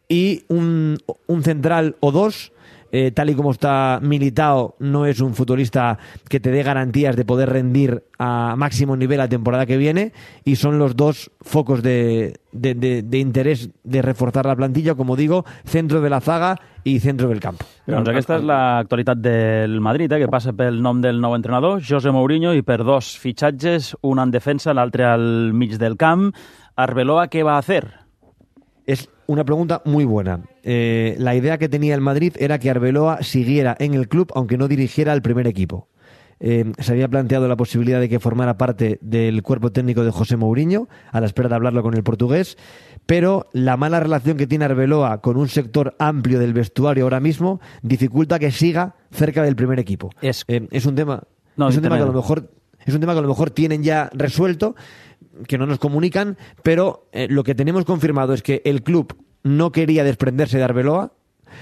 y un, un central o dos. Eh, tal y como está Militao, no es un futbolista que te dé garantías de poder rendir a máximo nivel la temporada que viene, y son los dos focos de, de, de, de interés de reforzar la plantilla, como digo, centro de la zaga i centre del camp. Doncs aquesta és l'actualitat del Madrid, eh, que passa pel nom del nou entrenador, José Mourinho, i per dos fitxatges, un en defensa, l'altre al mig del camp. Arbeloa, ¿qué va a hacer? Es una pregunta muy buena. Eh, la idea que tenía el Madrid era que Arbeloa siguiera en el club, aunque no dirigiera el primer equipo. Eh, se había planteado la posibilidad de que formara parte del cuerpo técnico de José Mourinho, a la espera de hablarlo con el portugués, pero la mala relación que tiene Arbeloa con un sector amplio del vestuario ahora mismo dificulta que siga cerca del primer equipo. Es, eh, es un tema, no, es un tema que a lo mejor es un tema que a lo mejor tienen ya resuelto, que no nos comunican, pero eh, lo que tenemos confirmado es que el club no quería desprenderse de Arbeloa.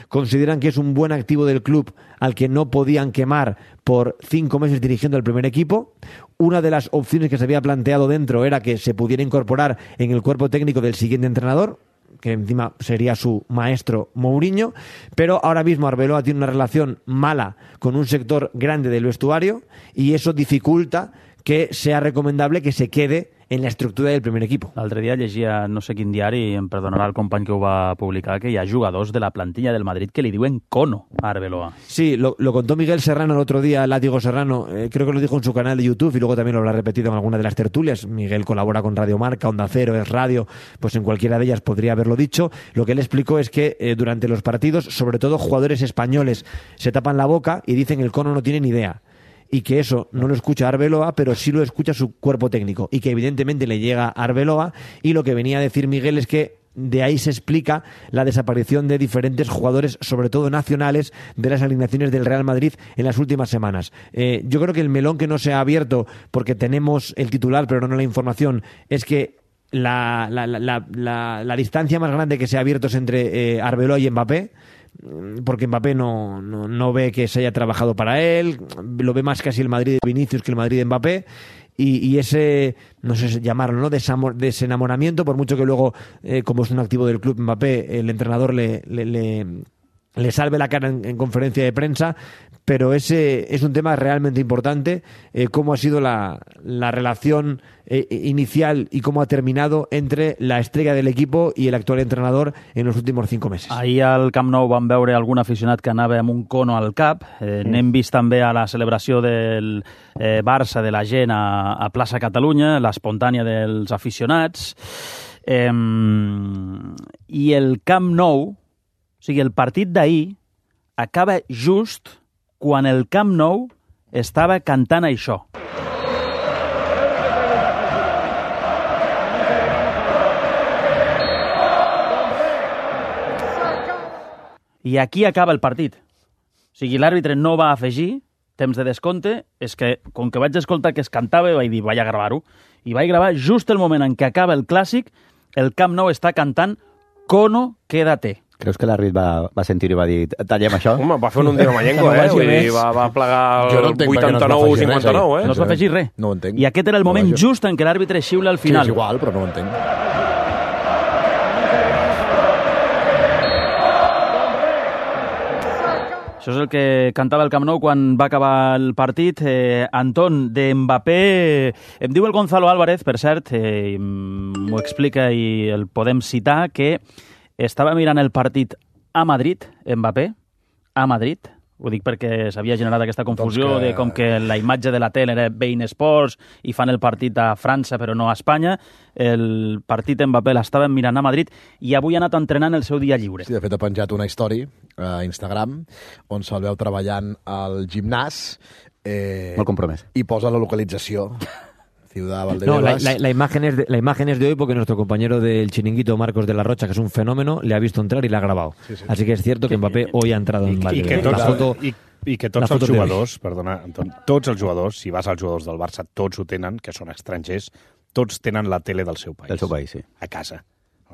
Consideran que es un buen activo del club al que no podían quemar por cinco meses dirigiendo el primer equipo. Una de las opciones que se había planteado dentro era que se pudiera incorporar en el cuerpo técnico del siguiente entrenador, que encima sería su maestro Mourinho, pero ahora mismo Arbeloa tiene una relación mala con un sector grande del vestuario y eso dificulta que sea recomendable que se quede en la estructura del primer equipo. L'altre dia llegia, no sé quin diari, em perdonarà el company que ho va publicar, que hi ha jugadors de la plantilla del Madrid que li diuen cono a Arbeloa. Sí, lo, lo contó Miguel Serrano el otro día, Látigo Serrano, eh, creo que lo dijo en su canal de YouTube y luego también lo habrá repetido en alguna de las tertulias. Miguel colabora con Radio Marca, Onda Cero, Es Radio, pues en cualquiera de ellas podría haberlo dicho. Lo que él explicó es que eh, durante los partidos, sobre todo jugadores españoles, se tapan la boca y dicen el cono no tiene ni idea. Y que eso no lo escucha Arbeloa, pero sí lo escucha su cuerpo técnico, y que evidentemente le llega a Arbeloa, y lo que venía a decir Miguel es que de ahí se explica la desaparición de diferentes jugadores, sobre todo nacionales, de las alineaciones del Real Madrid en las últimas semanas. Eh, yo creo que el melón que no se ha abierto, porque tenemos el titular pero no la información, es que la, la, la, la, la, la distancia más grande que se ha abierto es entre eh, Arbeloa y Mbappé, porque Mbappé no, no, no ve que se haya trabajado para él, lo ve más casi el Madrid de Vinicius que el Madrid de Mbappé, y, y ese, no sé llamarlo, ¿no?, Desamor, desenamoramiento, por mucho que luego, eh, como es un activo del club Mbappé, el entrenador le, le, le, le salve la cara en, en conferencia de prensa, pero ese es un tema realmente importante, eh, cómo ha sido la, la relación eh, inicial y cómo ha terminado entre la estrella del equipo i el actual entrenador en los últimos cinco meses. Ahir al Camp Nou vam veure algun aficionat que anava amb un cono al cap. Eh, mm. N'hem vist també a la celebració del eh, Barça de la gent a, a plaça Catalunya, l'espontània dels aficionats. Eh, I el Camp Nou, o sigui, el partit d'ahir acaba just quan el Camp Nou estava cantant això. I aquí acaba el partit. O sigui, l'àrbitre no va afegir temps de descompte, és que, com que vaig escoltar que es cantava, vaig dir, vaig a gravar-ho. I vaig gravar just el moment en què acaba el clàssic, el Camp Nou està cantant Cono, quédate. Creus que l'àrbit va, va sentir i va dir tallem això? Home, va fer un Undino Mayenco, eh? Vull dir, va, va plegar el vuitanta-nou cinquanta-nou, eh? No es va afegir res. No ho entenc. I aquest era el moment just en què l'àrbitre xiula al final. Sí, és igual, però no ho entenc. Això és el que cantava el Camp Nou quan va acabar el partit. Eh, Anton, de Mbappé... Em diu el Gonzalo Álvarez, per cert, eh, m'ho explica i el podem citar, que estava mirant el partit a Madrid, Mbappé, a Madrid. Ho dic perquè s'havia generat aquesta confusió doncs que... de com que la imatge de la tele era Bein Sports i fan el partit a França però no a Espanya. El partit Mbappé l'estaven mirant a Madrid i avui ha anat entrenant el seu dia lliure. Sí, de fet ha penjat una història a Instagram on se'l veu treballant al gimnàs. Eh, Molt compromès. I posa la localització. Ciudad Valdebebas. No, la, la, la, imagen es de, la imagen es de hoy porque nuestro compañero del Chiringuito, Marcos de la Rocha, que es un fenómeno, le ha visto entrar y le ha grabado. Sí, sí. Así que es cierto que Mbappé hoy ha entrado en Valdebebas. I que tots, la foto, i, i que tots els jugadors, perdona, Anton, tots els jugadors, si vas als jugadors del Barça, tots ho tenen, que són estrangers, tots tenen la tele del seu país. Del seu país, sí. A casa.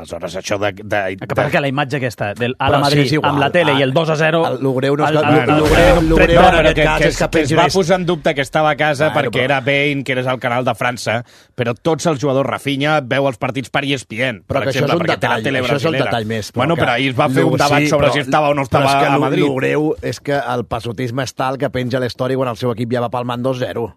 Aleshores, això de... de, de... Que perquè la imatge aquesta, del a la Madrid, sí, amb la tele ah, i el dos a zero... L'Ugreu no és que... L'Ugreu en aquest cas és que es va posar en dubte que estava a casa bueno, perquè però... era Bein, que eres al canal de França, però tots els jugadors, Rafinha, veu els partits per E S P N, però per que exemple, això és un detall, això és el detall més. Bueno, però ahir es va fer un debat sobre si estava o no estava a Madrid. L'Ugreu és que el passotisme és tal que penja l'història quan el seu equip ja va palmant dos zero.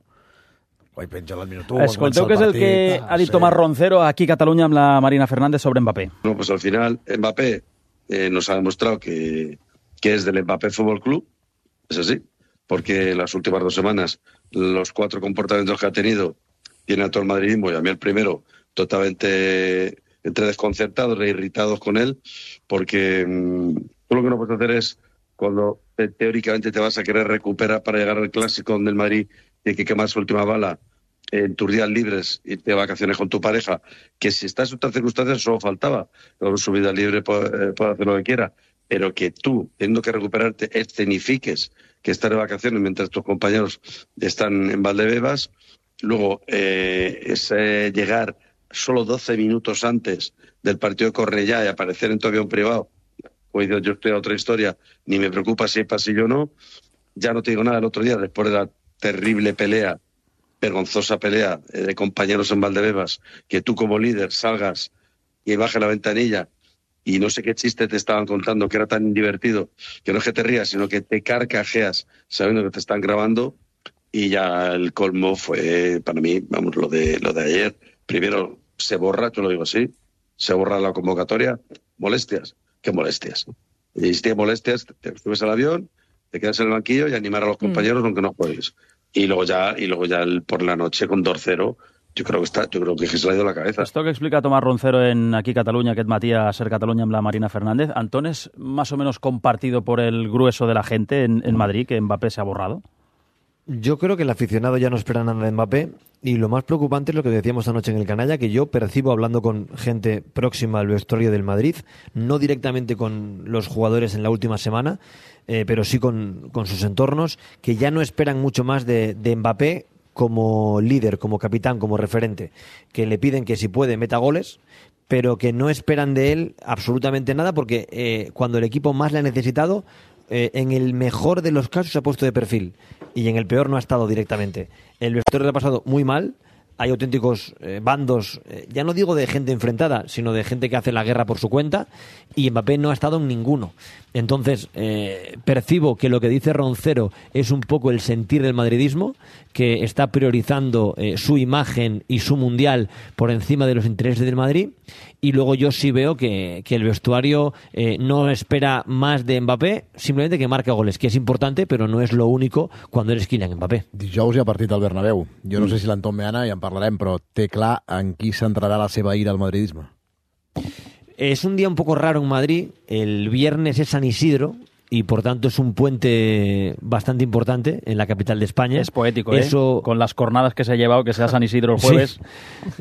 Oi, penja el minut u, escolteu què és el que ha dit Tomás Roncero aquí a Cataluña amb la Marina Fernández sobre Mbappé. No, pues al final Mbappé eh, nos ha demostrado que, que es del Mbappé Fútbol Club, es así, porque en las últimas dos semanas los cuatro comportamientos que ha tenido tiene a todo el madridismo y a mí el primero totalmente entre desconcertados e irritados con él, porque mmm, todo lo que no puedes hacer es cuando te, teóricamente te vas a querer recuperar para llegar al clásico donde el Madrid tiene que quemar su última bala en tus días libres, irte de vacaciones con tu pareja, que si estás en otras circunstancias solo faltaba, con su vida libre puede, puede hacer lo que quiera, pero que tú, teniendo que recuperarte, escenifiques que estás de vacaciones mientras tus compañeros están en Valdebebas, luego eh, es eh, llegar solo doce minutos antes del partido de Cornellá y aparecer en tu avión privado, pues yo estoy a otra historia, ni me preocupa si hay pasillo o no, ya no te digo nada el otro día, después de la terrible pelea, vergonzosa pelea eh, de compañeros en Valdebebas, que tú como líder salgas y bajes la ventanilla y no sé qué chiste te estaban contando que era tan divertido, que no es que te rías, sino que te carcajeas sabiendo que te están grabando, y ya el colmo fue para mí, vamos, lo de lo de ayer, primero se borra, yo lo digo así, se borra la convocatoria, molestias, ¿qué molestias? Y si tienes molestias, te subes al avión, te quedas en el banquillo y animar a los compañeros mm. aunque no juegues. Y luego ya, y luego ya el, por la noche con dos cero, yo creo que está, yo creo que se le ha ido la cabeza. Esto que explica Tomás Roncero en aquí Cataluña, aquest matí a Ser Catalunya amb la Marina Fernández, Antón, ¿es más o menos compartido por el grueso de la gente en, en Madrid que Mbappé se ha borrado? Yo creo que el aficionado ya no espera nada de Mbappé y lo más preocupante es lo que decíamos anoche en el Canalla, que yo percibo hablando con gente próxima al vestuario del Madrid, no directamente con los jugadores en la última semana, eh, pero sí con, con sus entornos, que ya no esperan mucho más de, de Mbappé como líder, como capitán, como referente, que le piden que si puede meta goles, pero que no esperan de él absolutamente nada porque eh, cuando el equipo más le ha necesitado, Eh, en el mejor de los casos se ha puesto de perfil y en el peor no ha estado directamente. El vestuario le ha pasado muy mal, hay auténticos eh, bandos, eh, ya no digo de gente enfrentada, sino de gente que hace la guerra por su cuenta y Mbappé no ha estado en ninguno. Entonces, eh, percibo que lo que dice Roncero es un poco el sentir del madridismo, que está priorizando eh, su imagen y su mundial por encima de los intereses del Madrid. Y luego yo sí veo que, que el vestuario eh, no espera más de Mbappé, simplemente que marque goles, que és importante, però no és lo único cuando eres Kylian Mbappé. Dijous hi ha partit al Bernabéu. Jo no mm. sé si l'Anton Meana, ja en parlarem, però té clar en qui centrarà la seva ira al madridisme. Es un día un poco raro en Madrid. El viernes es San Isidro y por tanto es un puente bastante importante en la capital de España. Es poético, Eso... ¿eh? Con las cornadas que se ha llevado, que sea San Isidro el jueves.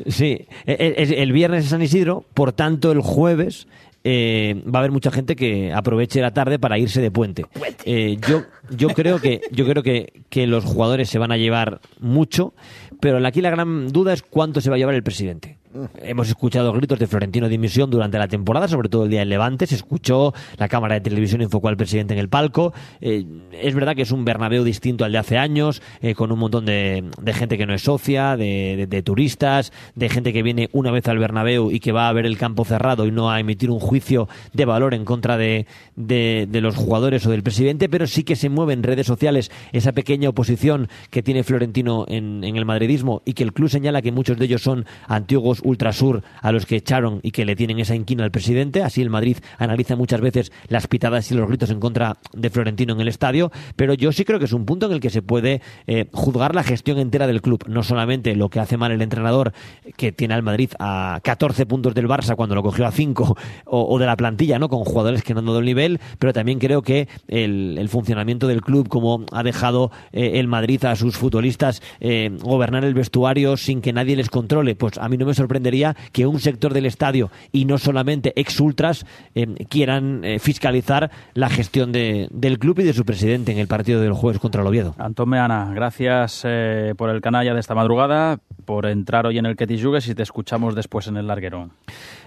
Sí, sí. El, el viernes es San Isidro, por tanto el jueves eh, va a haber mucha gente que aproveche la tarde para irse de puente. Eh, yo, yo creo que yo creo que, que los jugadores se van a llevar mucho, pero aquí la gran duda es cuánto se va a llevar el presidente. Hemos escuchado gritos de Florentino dimisión durante la temporada, sobre todo el día del Levante. Se escuchó, la cámara de televisión enfocó al presidente en el palco. Eh, es verdad que es un Bernabéu distinto al de hace años, eh, con un montón de, de gente que no es socia, de, de, de turistas, de gente que viene una vez al Bernabéu y que va a ver el campo cerrado y no a emitir un juicio de valor en contra de, de, de los jugadores o del presidente, pero sí que se mueve en redes sociales esa pequeña oposición que tiene Florentino en, en el madridismo y que el club señala que muchos de ellos son antiguos ultrasur a los que echaron y que le tienen esa inquina al presidente. Así el Madrid analiza muchas veces las pitadas y los gritos en contra de Florentino en el estadio, pero yo sí creo que es un punto en el que se puede eh, juzgar la gestión entera del club, no solamente lo que hace mal el entrenador, que tiene al Madrid a catorce puntos del Barça cuando lo cogió a cinco, o, o de la plantilla, ¿no?, con jugadores que no han dado el nivel, pero también creo que el, el funcionamiento del club, como ha dejado eh, el Madrid a sus futbolistas eh, gobernar el vestuario sin que nadie les controle, pues a mí no me sorprendería que un sector del estadio y no solamente ex-ultras eh, quieran eh, fiscalizar la gestión de, del club y de su presidente en el partido del jueves contra el Oviedo. Antón Meana, gracias eh, por el canalla de esta madrugada, por entrar hoy en el Que T'hi Jugues y te escuchamos después en el larguero.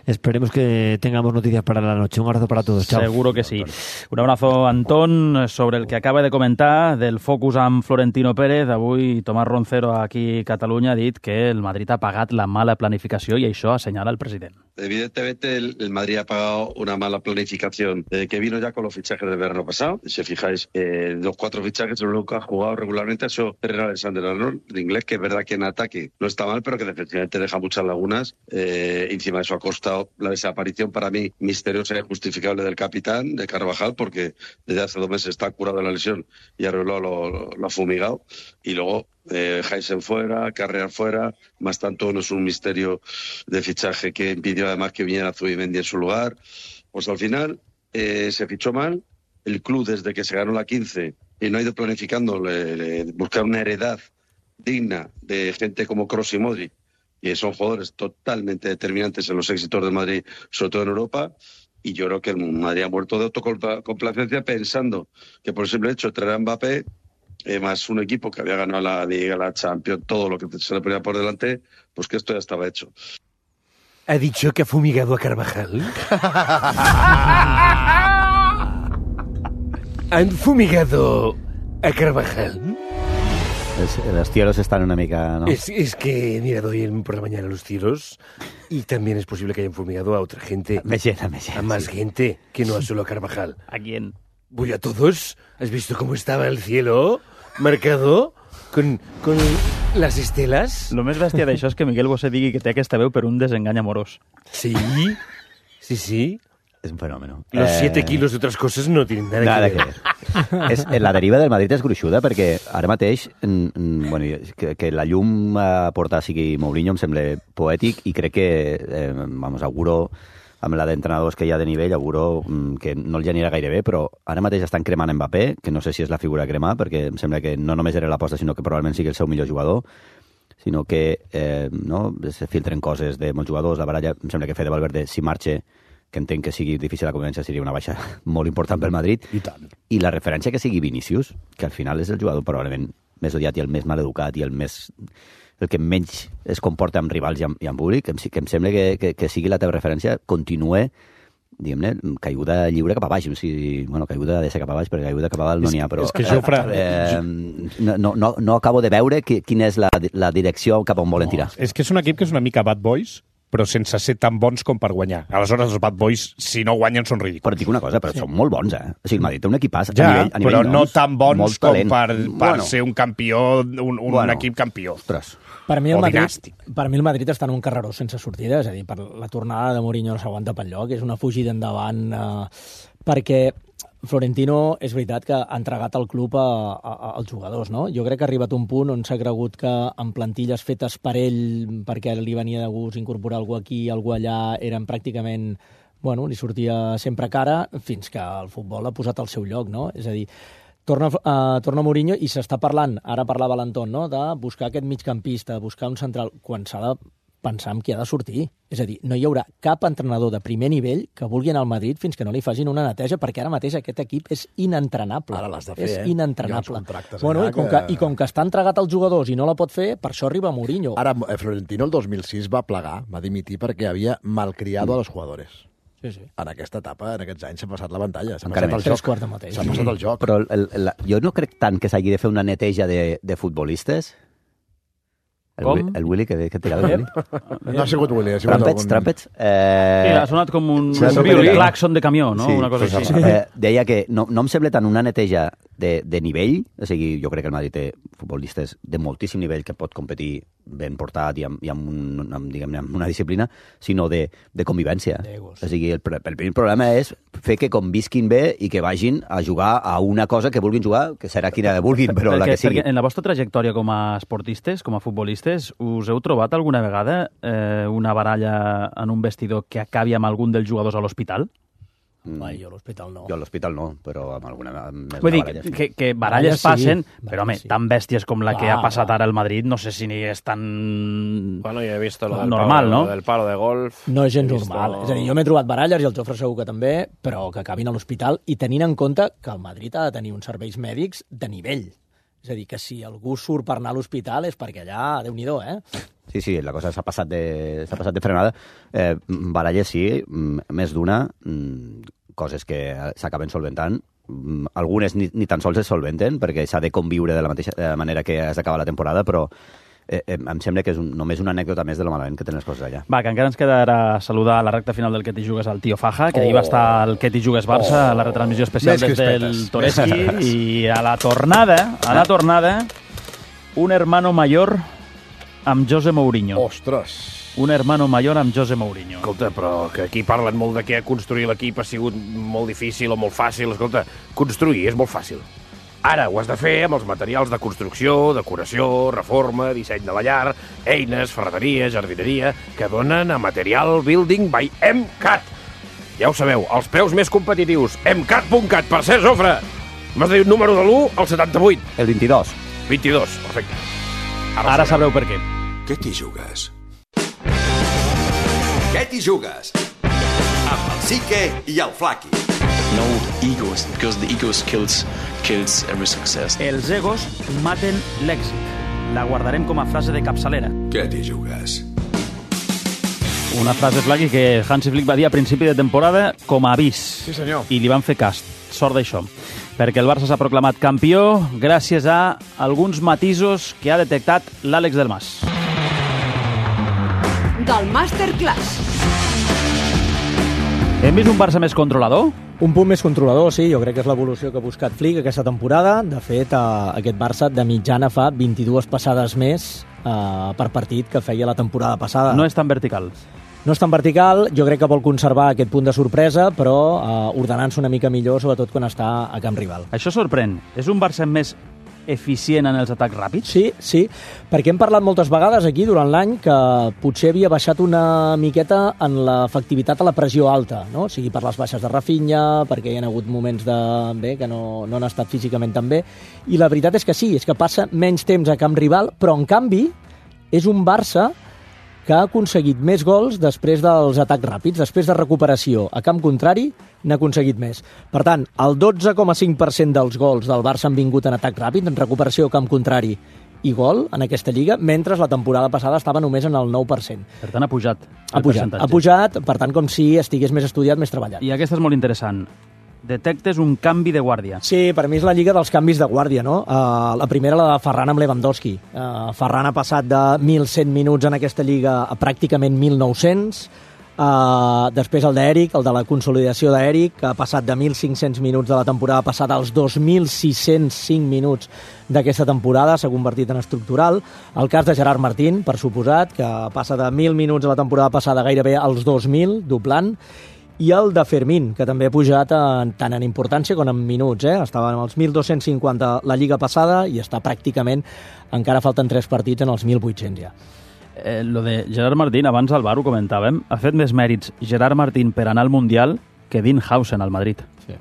Esperemos que tengamos noticias para la noche. Un abrazo para todos. Chao. Seguro que sí. Un abrazo, Antón, sobre el que acaba de comentar del focus amb Florentino Pérez. Avui Tomàs Roncero aquí a Catalunya ha dit que el Madrid ha pagat la mala planificació i això assenyala el president. Evidentemente el, el Madrid ha pagado una mala planificación eh, que vino ya con los fichajes del verano pasado. Si os fijáis, eh, los cuatro fichajes el único que ha jugado regularmente ha sido Trent Alexander-Arnold, de inglés, que es verdad que en ataque no está mal, pero que defensivamente deja muchas lagunas. Eh, encima de eso ha costado la desaparición, para mí, misteriosa e injustificable del capitán, de Carvajal, porque desde hace dos meses está curado de la lesión y Arbeloa lo, lo, lo ha fumigado. Y luego eh, Heisen fuera, Carrear fuera, más tanto no es un misterio de fichaje que impidió además que viniera Zubimendi en su lugar. Pues al final eh, se fichó mal, el club desde que se ganó la quince y no ha ido planificando le, le, buscar una heredad digna de gente como Kroos y Modric, que son jugadores totalmente determinantes en los éxitos del Madrid, sobre todo en Europa, y yo creo que el Madrid ha muerto de autocomplacencia pensando que por el simple hecho de traer a Mbappé, eh, más un equipo que había ganado la Liga, la Champions, todo lo que se le ponía por delante, pues que esto ya estaba hecho. ¿Ha dicho que ha fumigado a Carvajal? ¿Han fumigado a Carvajal? Es, los tiros están una mica, ¿no? Es, es que he mirado hoy por la mañana los tiros y también es posible que hayan fumigado a otra gente. Me llena, me llena. A más sí. gente que no a solo a Carvajal. ¿A quién? Voy a todos. ¿Has visto cómo estaba el cielo marcado con, con las estelas. Lo més bèstia d'això és que Miguel Bosé digui que té aquesta veu per un desengany amorós. Sí, sí, sí. Es un fenómeno. Los Eh, siete kilos de otras cosas no tienen nada, Nada que que ver. ver. És, la deriva del Madrid és gruixuda perquè ara mateix mm, mm, bueno, que, que la llum a portar sigui Mourinho em sembla poètic i crec que eh, vamos, auguro amb la d'entrenadors que hi ha de nivell, auguro mm, que no el genera gaire bé, però ara mateix estan cremant Mbappé, que no sé si és la figura a cremar, perquè em sembla que no només era l'aposta, sinó que probablement sigui el seu millor jugador, sinó que eh, no, se filtren coses de molts jugadors, la baralla, em sembla que Fede Valverde, si marxa, que entenc que sigui difícil la convivència, seria una baixa molt important pel Madrid. I tant. I la referència que sigui Vinícius, que al final és el jugador probablement més odiat i el més maleducat i el més el que menys es comporta amb rivals i amb, i amb públic, que em, que em sembla que, que, que sigui la teva referència, continue diguem-ne, caiguda lliure cap a baix. O sigui, bueno, caiguda de ser cap a baix, perquè caiguda cap a dalt no n'hi ha, però... És que Jofre... Eh, no, no, no acabo de veure qui, quina és la, la direcció cap on volen tirar. No, és que és un equip que és una mica bad boys, però sense ser tan bons com per guanyar. Aleshores, els bad boys, si no guanyen, són ridículs. Però et dic una cosa, però sí. Són molt bons, eh? O sigui, el Madrid té un equipàs ja, a nivell, a nivell però noms, no tan bons com talent. per, per bueno. ser un campió, un, un bueno. equip campió. Ostres. Per mi, el o Madrid, dinàstic. per mi el Madrid està en un carreró sense sortida, és a dir, per la tornada de Mourinho no s'aguanta pel lloc, és una fugida endavant, eh, perquè Florentino és veritat que ha entregat el club a, a, als jugadors, no? Jo crec que ha arribat un punt on s'ha cregut que en plantilles fetes per ell, perquè li venia de gust incorporar algú aquí, algú allà, eren pràcticament, bueno, li sortia sempre cara, fins que el futbol ha posat al seu lloc, no? És a dir, torna, uh, torna Mourinho i s'està parlant, ara parlava l'Anton, no?, de buscar aquest migcampista, buscar un central, quan s'ha de pensar en qui ha de sortir. És a dir, no hi haurà cap entrenador de primer nivell que vulgui anar al Madrid fins que no li facin una neteja, perquè ara mateix aquest equip és inentrenable. Ara l'has de fer, és eh? inentrenable. Hi Bueno, i, com que... que... I com que està entregat als jugadors i no la pot fer, per això arriba Mourinho. Ara, Florentino el dos mil sis va plegar, va dimitir perquè havia malcriado mm. a los jugadores. Sí, sí. En aquesta etapa, en aquests anys, s'ha passat la pantalla. S'ha Encara passat més. el Tres quarts de mateix. S'ha passat el joc. Però el, el, jo no crec tant que s'hagi de fer una neteja de, de futbolistes. El, Com? el Willy, que, que tirava el Willy. No ha sigut Willy, ha sigut Trampets, algun... trampets. Eh... Sí, ha sonat com un, Sí, un violí. claxon de camió, no? Sí, Una cosa pues, així. eh, deia que no, no em sembla tant una neteja de, de nivell, o sigui, jo crec que el Madrid té futbolistes de moltíssim nivell que pot competir ben portat i amb, i amb, un, amb, diguem-ne, amb una disciplina, sinó de, de convivència. O sigui, el, el primer problema és fer que convisquin bé i que vagin a jugar a una cosa que vulguin jugar, que serà quina vulguin, però perquè, la que sigui. Perquè en la vostra trajectòria com a esportistes, com a futbolistes, us heu trobat alguna vegada eh, una baralla en un vestidor que acabi amb algun dels jugadors a l'hospital? Ai, jo a l'hospital no. Jo a l'hospital no, però amb alguna amb més Vull dir, baralla, sí. que, que baralles Baralles sí, passen, baralles però home, sí. tan bèsties com la que Clar, ha passat clar. ara al Madrid, no sé si ni és tan Bueno, yo he visto lo del, normal, palo, no? lo del palo de golf. No és gens He visto- normal. És a dir, jo m'he trobat baralles, i el Jofre segur que també, però que acabin a l'hospital, i tenint en compte que el Madrid ha de tenir uns serveis mèdics de nivell. És a dir, que si algú surt per anar a l'hospital és perquè allà, Déu-n'hi-do, eh? Sí, sí, la cosa s'ha passat, de, s'ha passat de frenada. Eh, baralles sí, mm, més d'una, mm, coses que s'acaben solventant. Mm, algunes ni, ni tan sols es solventen, perquè s'ha de conviure de la mateixa de la manera que has d'acabar la temporada, però eh, eh, em sembla que és un, només una anècdota més de lo malament que tenen les coses allà. Va, que encara ens quedarà saludar a la recta final del Que t'hi jugues al Tío Faja, que oh. ahir va estar el Que t'hi jugues Barça, oh. a la retransmissió especial Més des del crispetes. Toreski, i a la tornada, a la tornada, un hermano mayor amb José Mourinho. Ostres! Un hermano mayor amb José Mourinho. Escolta, però que aquí parlen molt de que construir l'equip ha sigut molt difícil o molt fàcil. Escolta, construir és molt fàcil. Ara ho has de fer amb els materials de construcció, decoració, reforma, disseny de la llar, eines, ferreteria, jardineria, que donen a Material Building by MCAT. Ja ho sabeu, els preus més competitius. emcat punt cat. Per cert, Jofre, m'has de dir un número de l'u al setanta-vuit. El vint-i-dos. vint-i-dos, perfecte. Ara, Ara sabreu per què. Què t'hi jugues? Què t'hi jugues? Amb el Sique i el Flaqui. No egos, because the egos kills, kills every success. Els egos maten l'èxit. La guardarem com a frase de capçalera. Què t'hi jugues? Una frase, Flaqui, que Hansi Flick va dir a principi de temporada com a avís. Sí, senyor. I li van fer cas. Sort d'això. Perquè el Barça s'ha proclamat campió gràcies a alguns matisos que ha detectat l'Àlex del Mas. Del Masterclass. Hem vist un Barça més controlador? Un punt més controlador, sí, jo crec que és l'evolució que ha buscat Flick aquesta temporada. De fet, eh, aquest Barça de mitjana fa vint-i-dues passades més eh, per partit que feia la temporada passada. No és tan vertical. No és tan vertical, jo crec que vol conservar aquest punt de sorpresa, però eh, ordenant-se una mica millor, sobretot quan està a camp rival. Això sorprèn. És un Barça més eficient en els atacs ràpids? Sí, sí, perquè hem parlat moltes vegades aquí durant l'any que potser havia baixat una miqueta en l'efectivitat a la pressió alta, no? O sigui, per les baixes de Rafinha, perquè hi ha hagut moments de, bé, que no, no han estat físicament tan bé, i la veritat és que sí, és que passa menys temps a camp rival, però en canvi és un Barça que ha aconseguit més gols després dels atacs ràpids, després de recuperació a camp contrari, n'ha aconseguit més. Per tant, el dotze coma cinc per cent dels gols del Barça han vingut en atac ràpid, en recuperació a camp contrari i gol en aquesta lliga, mentre la temporada passada estava només en el nou per cent. Per tant, ha pujat. Ha pujat, ha pujat, per tant, com si estigués més estudiat, més treballat. I aquesta és molt interessant. Detectes un canvi de guàrdia. Sí, per mi és la lliga dels canvis de guàrdia, no? Uh, la primera, la de Ferran amb Lewandowski. Uh, Ferran ha passat de mil cent minuts en aquesta lliga a pràcticament mil nou-cents. Uh, després el d'Eric, el de la consolidació d'Eric, que ha passat de mil cinc-cents minuts de la temporada passada als dos mil sis-cents cinc minuts d'aquesta temporada, s'ha convertit en estructural. El cas de Gerard Martín, per suposat, que passa de mil minuts a la temporada passada gairebé als dos mil, doblant. I el de Fermín, que també ha pujat en, tant en importància com en minuts. Eh? Estava en els mil dos-cents cinquanta la Lliga passada i està pràcticament, encara falten tres partits, en els mil vuit-cents ja. Eh, lo de Gerard Martín, abans al bar ho comentàvem, ha fet més mèrits Gerard Martín per anar al Mundial que Dean Hausen al Madrid. Sí,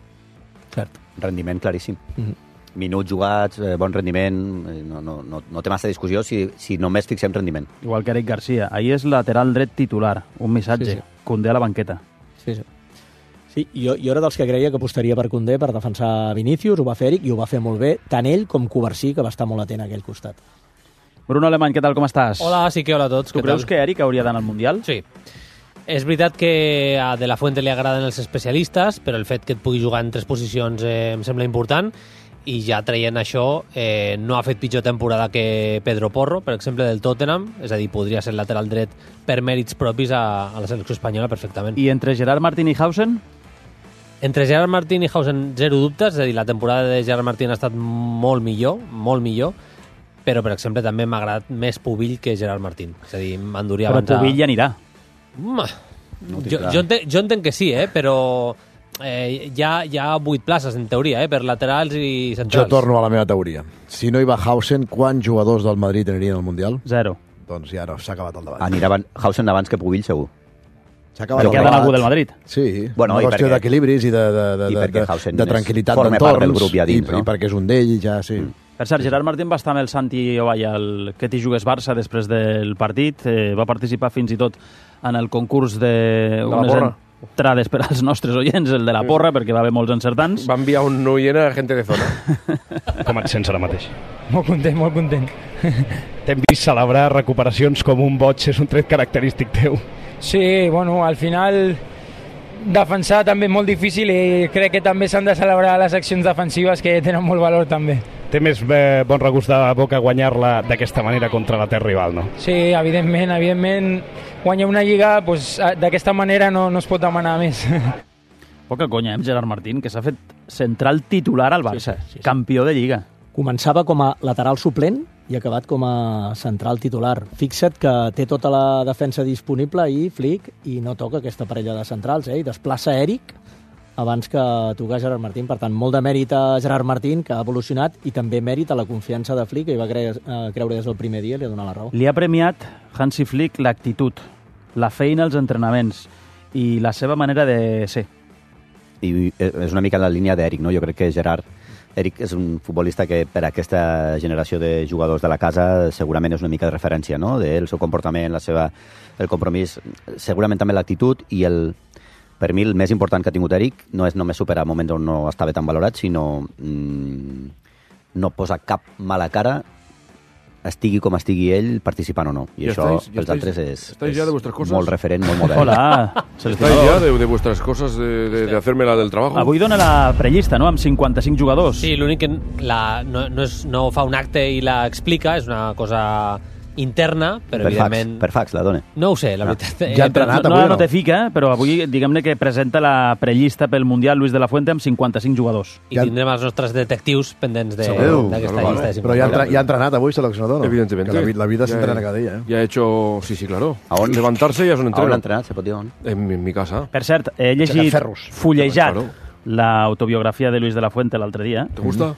cert. Rendiment claríssim. Mm-hmm. Minuts jugats, eh, bon rendiment, no, no, no, no té massa discussió si, si només fixem rendiment. Igual que Eric Garcia. Ahir és lateral dret titular, un missatge. Sí, sí. Koundé a la banqueta. Sí, sí. Sí, jo, jo era dels que creia que apostaria per Koundé per defensar Vinícius, ho va fer Eric i ho va fer molt bé, tant ell com Covarsí, que va estar molt atent a aquell costat. Bruno Alemany, què tal, com estàs? Hola, sí que hola a tots. Tu creus tal? Que Eric hauria d'anar al Mundial? Sí. És veritat que a De La Fuente li agraden els especialistes, però el fet que et pugui jugar en tres posicions eh, em sembla important, i ja traient això, eh, no ha fet pitjor temporada que Pedro Porro, per exemple, del Tottenham, és a dir, podria ser lateral dret per mèrits propis a, a la selecció espanyola perfectament. I entre Gerard Martín i Hausen? Entre Gerard Martín i Hausen, zero dubtes, és a dir, la temporada de Gerard Martín ha estat molt millor, molt millor, però, per exemple, també m'ha agradat més Pubill que Gerard Martín. És a dir, m'enduria però abans a... Pubill ja anirà. No jo, jo, entenc, jo entenc que sí, eh? Però eh, hi, ha, hi ha vuit places, en teoria, eh? Per laterals i centrals. Jo torno a la meva teoria. Si no hi va Hausen, quants jugadors del Madrid anirien al Mundial? Zero. Doncs ja no, s'ha acabat el debat. Anirà Hausen abans que Pubill, segur. S'ha acabat perquè el ha d'anar algú del Madrid. Sí, bueno, una qüestió d'equilibris i de, de, de, I de, de, de tranquil·litat d'entorns. Forma part del grup ja dins, i, no? I perquè és un d'ell, ja, sí. Mm. Per cert, Gerard Martín va estar amb el Santi Ovalla al Que t'hi jugues Barça després del partit. Eh, va participar fins i tot en el concurs de, de unes entrades per als nostres oients, el de la porra, perquè va haver molts encertants. Va enviar un oient a gent de zona. Com et sents ara mateix? Molt content, molt content. T'hem vist celebrar recuperacions com un boig, és un tret característic teu. Sí, bueno, al final defensar també és molt difícil i crec que també s'han de celebrar les accions defensives que tenen molt valor també. Té més eh, bon regust de boca guanyar-la d'aquesta manera contra la terra rival, no? Sí, evidentment, evidentment guanyar una lliga pues, d'aquesta manera no, no es pot demanar més. Poca conya, eh, Gerard Martín, que s'ha fet central titular al Barça, sí, sí, sí. Campió de Lliga. Començava com a lateral suplent i ha acabat com a central titular. Fixa't que té tota la defensa disponible i Flick i no toca aquesta parella de centrals, eh? I desplaça Eric abans que tocar Gerard Martín. Per tant, molt de mèrit a Gerard Martín, que ha evolucionat, i també mèrit a la confiança de Flick, que hi va cre eh, creure des del primer dia i li ha donat la raó. Li ha premiat Hansi Flick l'actitud, la feina als entrenaments i la seva manera de ser. I és una mica en la línia d'Eric, no? Jo crec que Gerard Eric és un futbolista que per a aquesta generació de jugadors de la casa segurament és una mica de referència, no? El seu comportament, la seva, el compromís, segurament també l'actitud, i el, per mi el més important que ha tingut Eric no és només superar moments on no estava tan valorat, sinó mmm, no posar cap mala cara, estigui com estigui ell, participant o no. I, ¿Y això, estáis, pels estáis, altres, és, estáis ya de vuestras cosas? molt referent, molt modern. Hola! ¿Estáis ya de, de vuestras cosas, de, de, de hacerme la del trabajo? Avui dona la prellista, no?, amb cinquanta-cinc jugadors. Sí, l'únic que la, no, no, és, no fa un acte i la explica, és una cosa interna, però per evidentment... Fax, per fax, la dona. No ho sé, la veritat. Ja ha entrenat, no, avui, no, no té fica, però avui diguem-ne que presenta la prellista pel Mundial Luis de la Fuente amb cinquanta-cinc jugadors. I tindrem els nostres detectius pendents d'aquesta llista. Però ja ha, ya ha entrenat avui seleccionador, no? Evidentemente. Que la, la vida ya, se entrena cada día. ¿eh? Ya he hecho... Sí, sí, claro. ¿Aún? Levantarse ya es un entreno. ¿Aún ha entrenat, se pot dir on? En, en mi casa. Per cert, he llegit, fullejat, l'autobiografia de Luis de la Fuente l'altre dia. ¿Te gusta?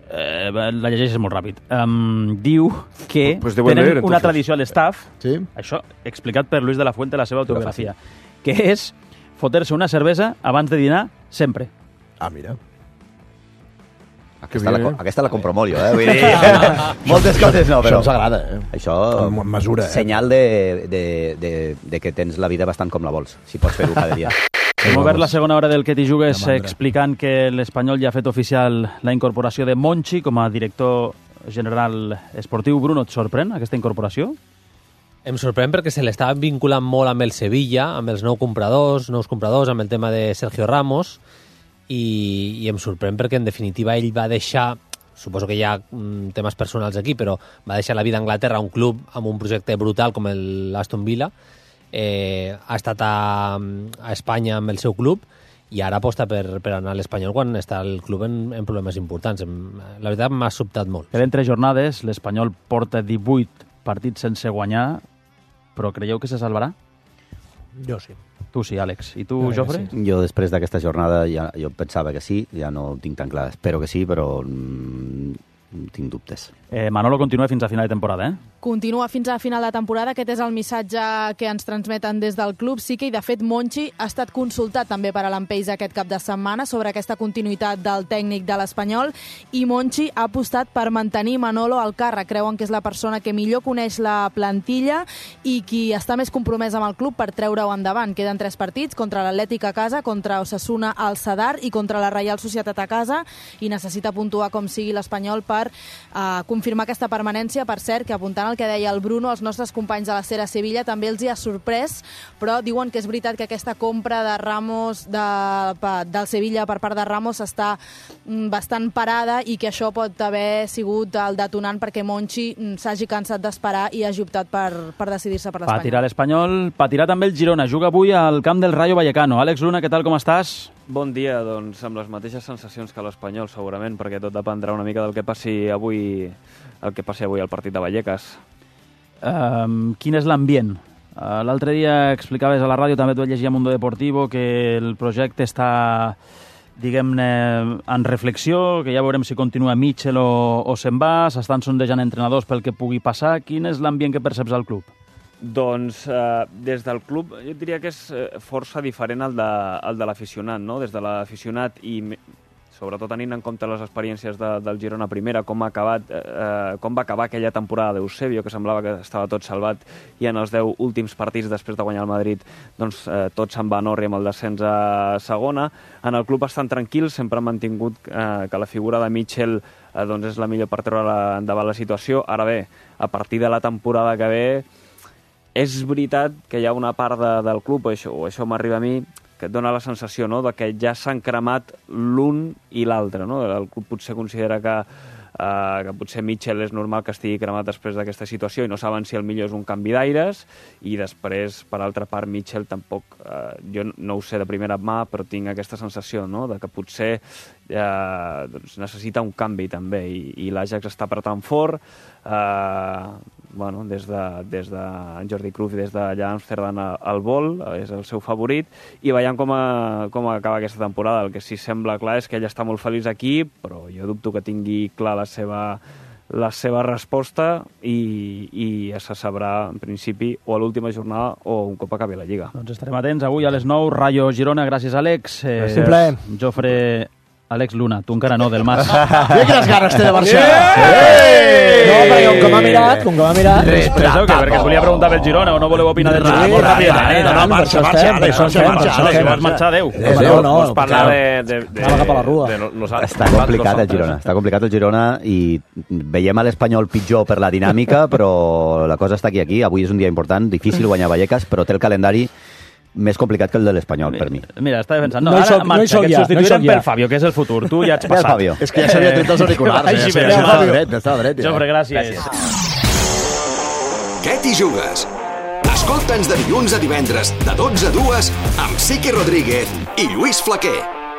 Eh, la llegeixes molt ràpid. Um, diu que pues tenen leer, una tradició a l'estaf, sí? això explicat per Luis de la Fuente a la seva autobiografia, que és fotre-se una cervesa abans de dinar sempre. Ah, mira. Aquesta, la, aquesta la compro molt jo, eh? Vull dir, moltes coses no, però... Això ens agrada, eh? Això... En mesura, eh? Senyal de, de, de, de que tens la vida bastant com la vols, si pots fer-ho cada dia. Hem obert la segona hora del Que t'hi jugues explicant que l'Espanyol ja ha fet oficial la incorporació de Monchi com a director general esportiu. Bruno, et sorprèn aquesta incorporació? Em sorprèn perquè se l'estava vinculant molt amb el Sevilla, amb els nous compradors, nous compradors, amb el tema de Sergio Ramos, i, i em sorprèn perquè en definitiva ell va deixar, suposo que hi ha mm, temes personals aquí, però va deixar la vida a Anglaterra, un club amb un projecte brutal com l'Aston Villa. Eh, ha estat a, a Espanya amb el seu club i ara aposta per, per anar a l'Espanyol quan està el club en, en problemes importants. La veritat m'ha sobtat molt. Queden tres jornades, l'Espanyol porta divuit partits sense guanyar, però creieu que se salvarà? Jo sí. Tu sí, Àlex. I tu, Jofre? Sí. Jo després d'aquesta jornada ja, jo pensava que sí, ja no ho tinc tan clar. Espero que sí, però mm, tinc dubtes. Eh, Manolo continua fins a final de temporada, eh? Continua fins a final de temporada. Aquest és el missatge que ens transmeten des del club. Sí que, i de fet, Monchi ha estat consultat també per a l'Empeix aquest cap de setmana sobre aquesta continuïtat del tècnic de l'Espanyol i Monchi ha apostat per mantenir Manolo al càrrec. Creuen que és la persona que millor coneix la plantilla i qui està més compromès amb el club per treure-ho endavant. Queden tres partits, contra l'Atlètic a casa, contra Osasuna al Sadar i contra la Reial Societat a casa, i necessita puntuar com sigui l'Espanyol per eh, confirmar aquesta permanència. Per cert, que apuntant el que deia el Bruno, els nostres companys de la Cera Sevilla també els hi ha sorprès, però diuen que és veritat que aquesta compra de Ramos de, del Sevilla per part de Ramos està bastant parada i que això pot haver sigut el detonant perquè Monchi s'hagi cansat d'esperar i hagi optat per, per decidir-se per l'Espanyol. Patirà l'Espanyol, patirà també el Girona. Juga avui al camp del Rayo Vallecano. Àlex Luna, què tal, com estàs? Bon dia, doncs amb les mateixes sensacions que l'Espanyol, segurament, perquè tot dependrà una mica del que passi avui, el que passi avui al partit de Vallecas. Um, quin és l'ambient? Uh, L'altre dia explicaves a la ràdio, també t'ho vaig llegir a Mundo Deportivo, que el projecte està, diguem-ne, en reflexió, que ja veurem si continua Mitchell o, o se'n va, s'estan sondejant entrenadors pel que pugui passar. Quin és l'ambient que perceps al club? Doncs eh, des del club jo diria que és força diferent al de, al de l'aficionat, no? Des de l'aficionat i sobretot tenint en compte les experiències de, del Girona primera, com, ha acabat, eh, com va acabar aquella temporada d'Eusebio, que semblava que estava tot salvat, i en els deu últims partits després de guanyar el Madrid, doncs eh, tot se'n va en orri amb el descens a segona. En el club estan tranquils, sempre han mantingut eh, que la figura de Mitchell eh, doncs és la millor per treure endavant la situació. Ara bé, a partir de la temporada que ve, és veritat que hi ha una part de, del club, o això, o això m'arriba a mi, que et dona la sensació, no?, de que ja s'han cremat l'un i l'altre, no? El club potser considera que, eh, que potser Mitchell és normal que estigui cremat després d'aquesta situació i no saben si el millor és un canvi d'aires, i després, per altra part, Mitchell tampoc, eh, jo no ho sé de primera mà, però tinc aquesta sensació, no?, de que potser eh, doncs necessita un canvi també, i, i l'Ajax està apretant fort, eh, bueno, des de, des de Jordi Cruyff, des d'allà a Amsterdam al vol, és el seu favorit, i veiem com, a, com acaba aquesta temporada. El que sí sembla clar és que ell està molt feliç aquí, però jo dubto que tingui clar la seva, la seva resposta, i, i ja se sabrà en principi o a l'última jornada o un cop acabi la Lliga. Doncs estarem atents avui a les nou, Rayo Girona. Gràcies, Àlex. Eh, Simple. Jofre... Àlex Luna, tu encara no, del Mas. Mira quines ganes té de marxar. No, perquè com que m'ha mirat, com que m'ha mirat... Penseu que perquè us volia preguntar pel Girona o no voleu opinar del Girona? Molt ràpidament. No, no, marxa, marxa, marxa, marxa. Si vols marxar, adéu. No, no, Vols parlar de... de, de, Anava cap a la rua. de nosaltres. Està complicat el Girona, està complicat el Girona, i veiem a l'Espanyol pitjor per la dinàmica, però la cosa està aquí, aquí. Avui és un dia important, difícil guanyar Vallecas, però té el calendari més complicat que el de l'Espanyol, per mi. Mira, estava pensant, no, No hi ara soc- no hi marxa, soc que et ja, substituirem no hi soc per ja. Fabio, que és el futur. Tu ja ets Per passat. Fabio. És que ja s'havia tret els auriculars. Així ja, bé, ja estava Fabio. dret, ja estava dret. Ja. Jofre, gràcies. Gràcies. Què t'hi jugues? Escolta'ns de dilluns a divendres, de dotze a dues, amb Siqui Rodríguez i Lluís Flaquer.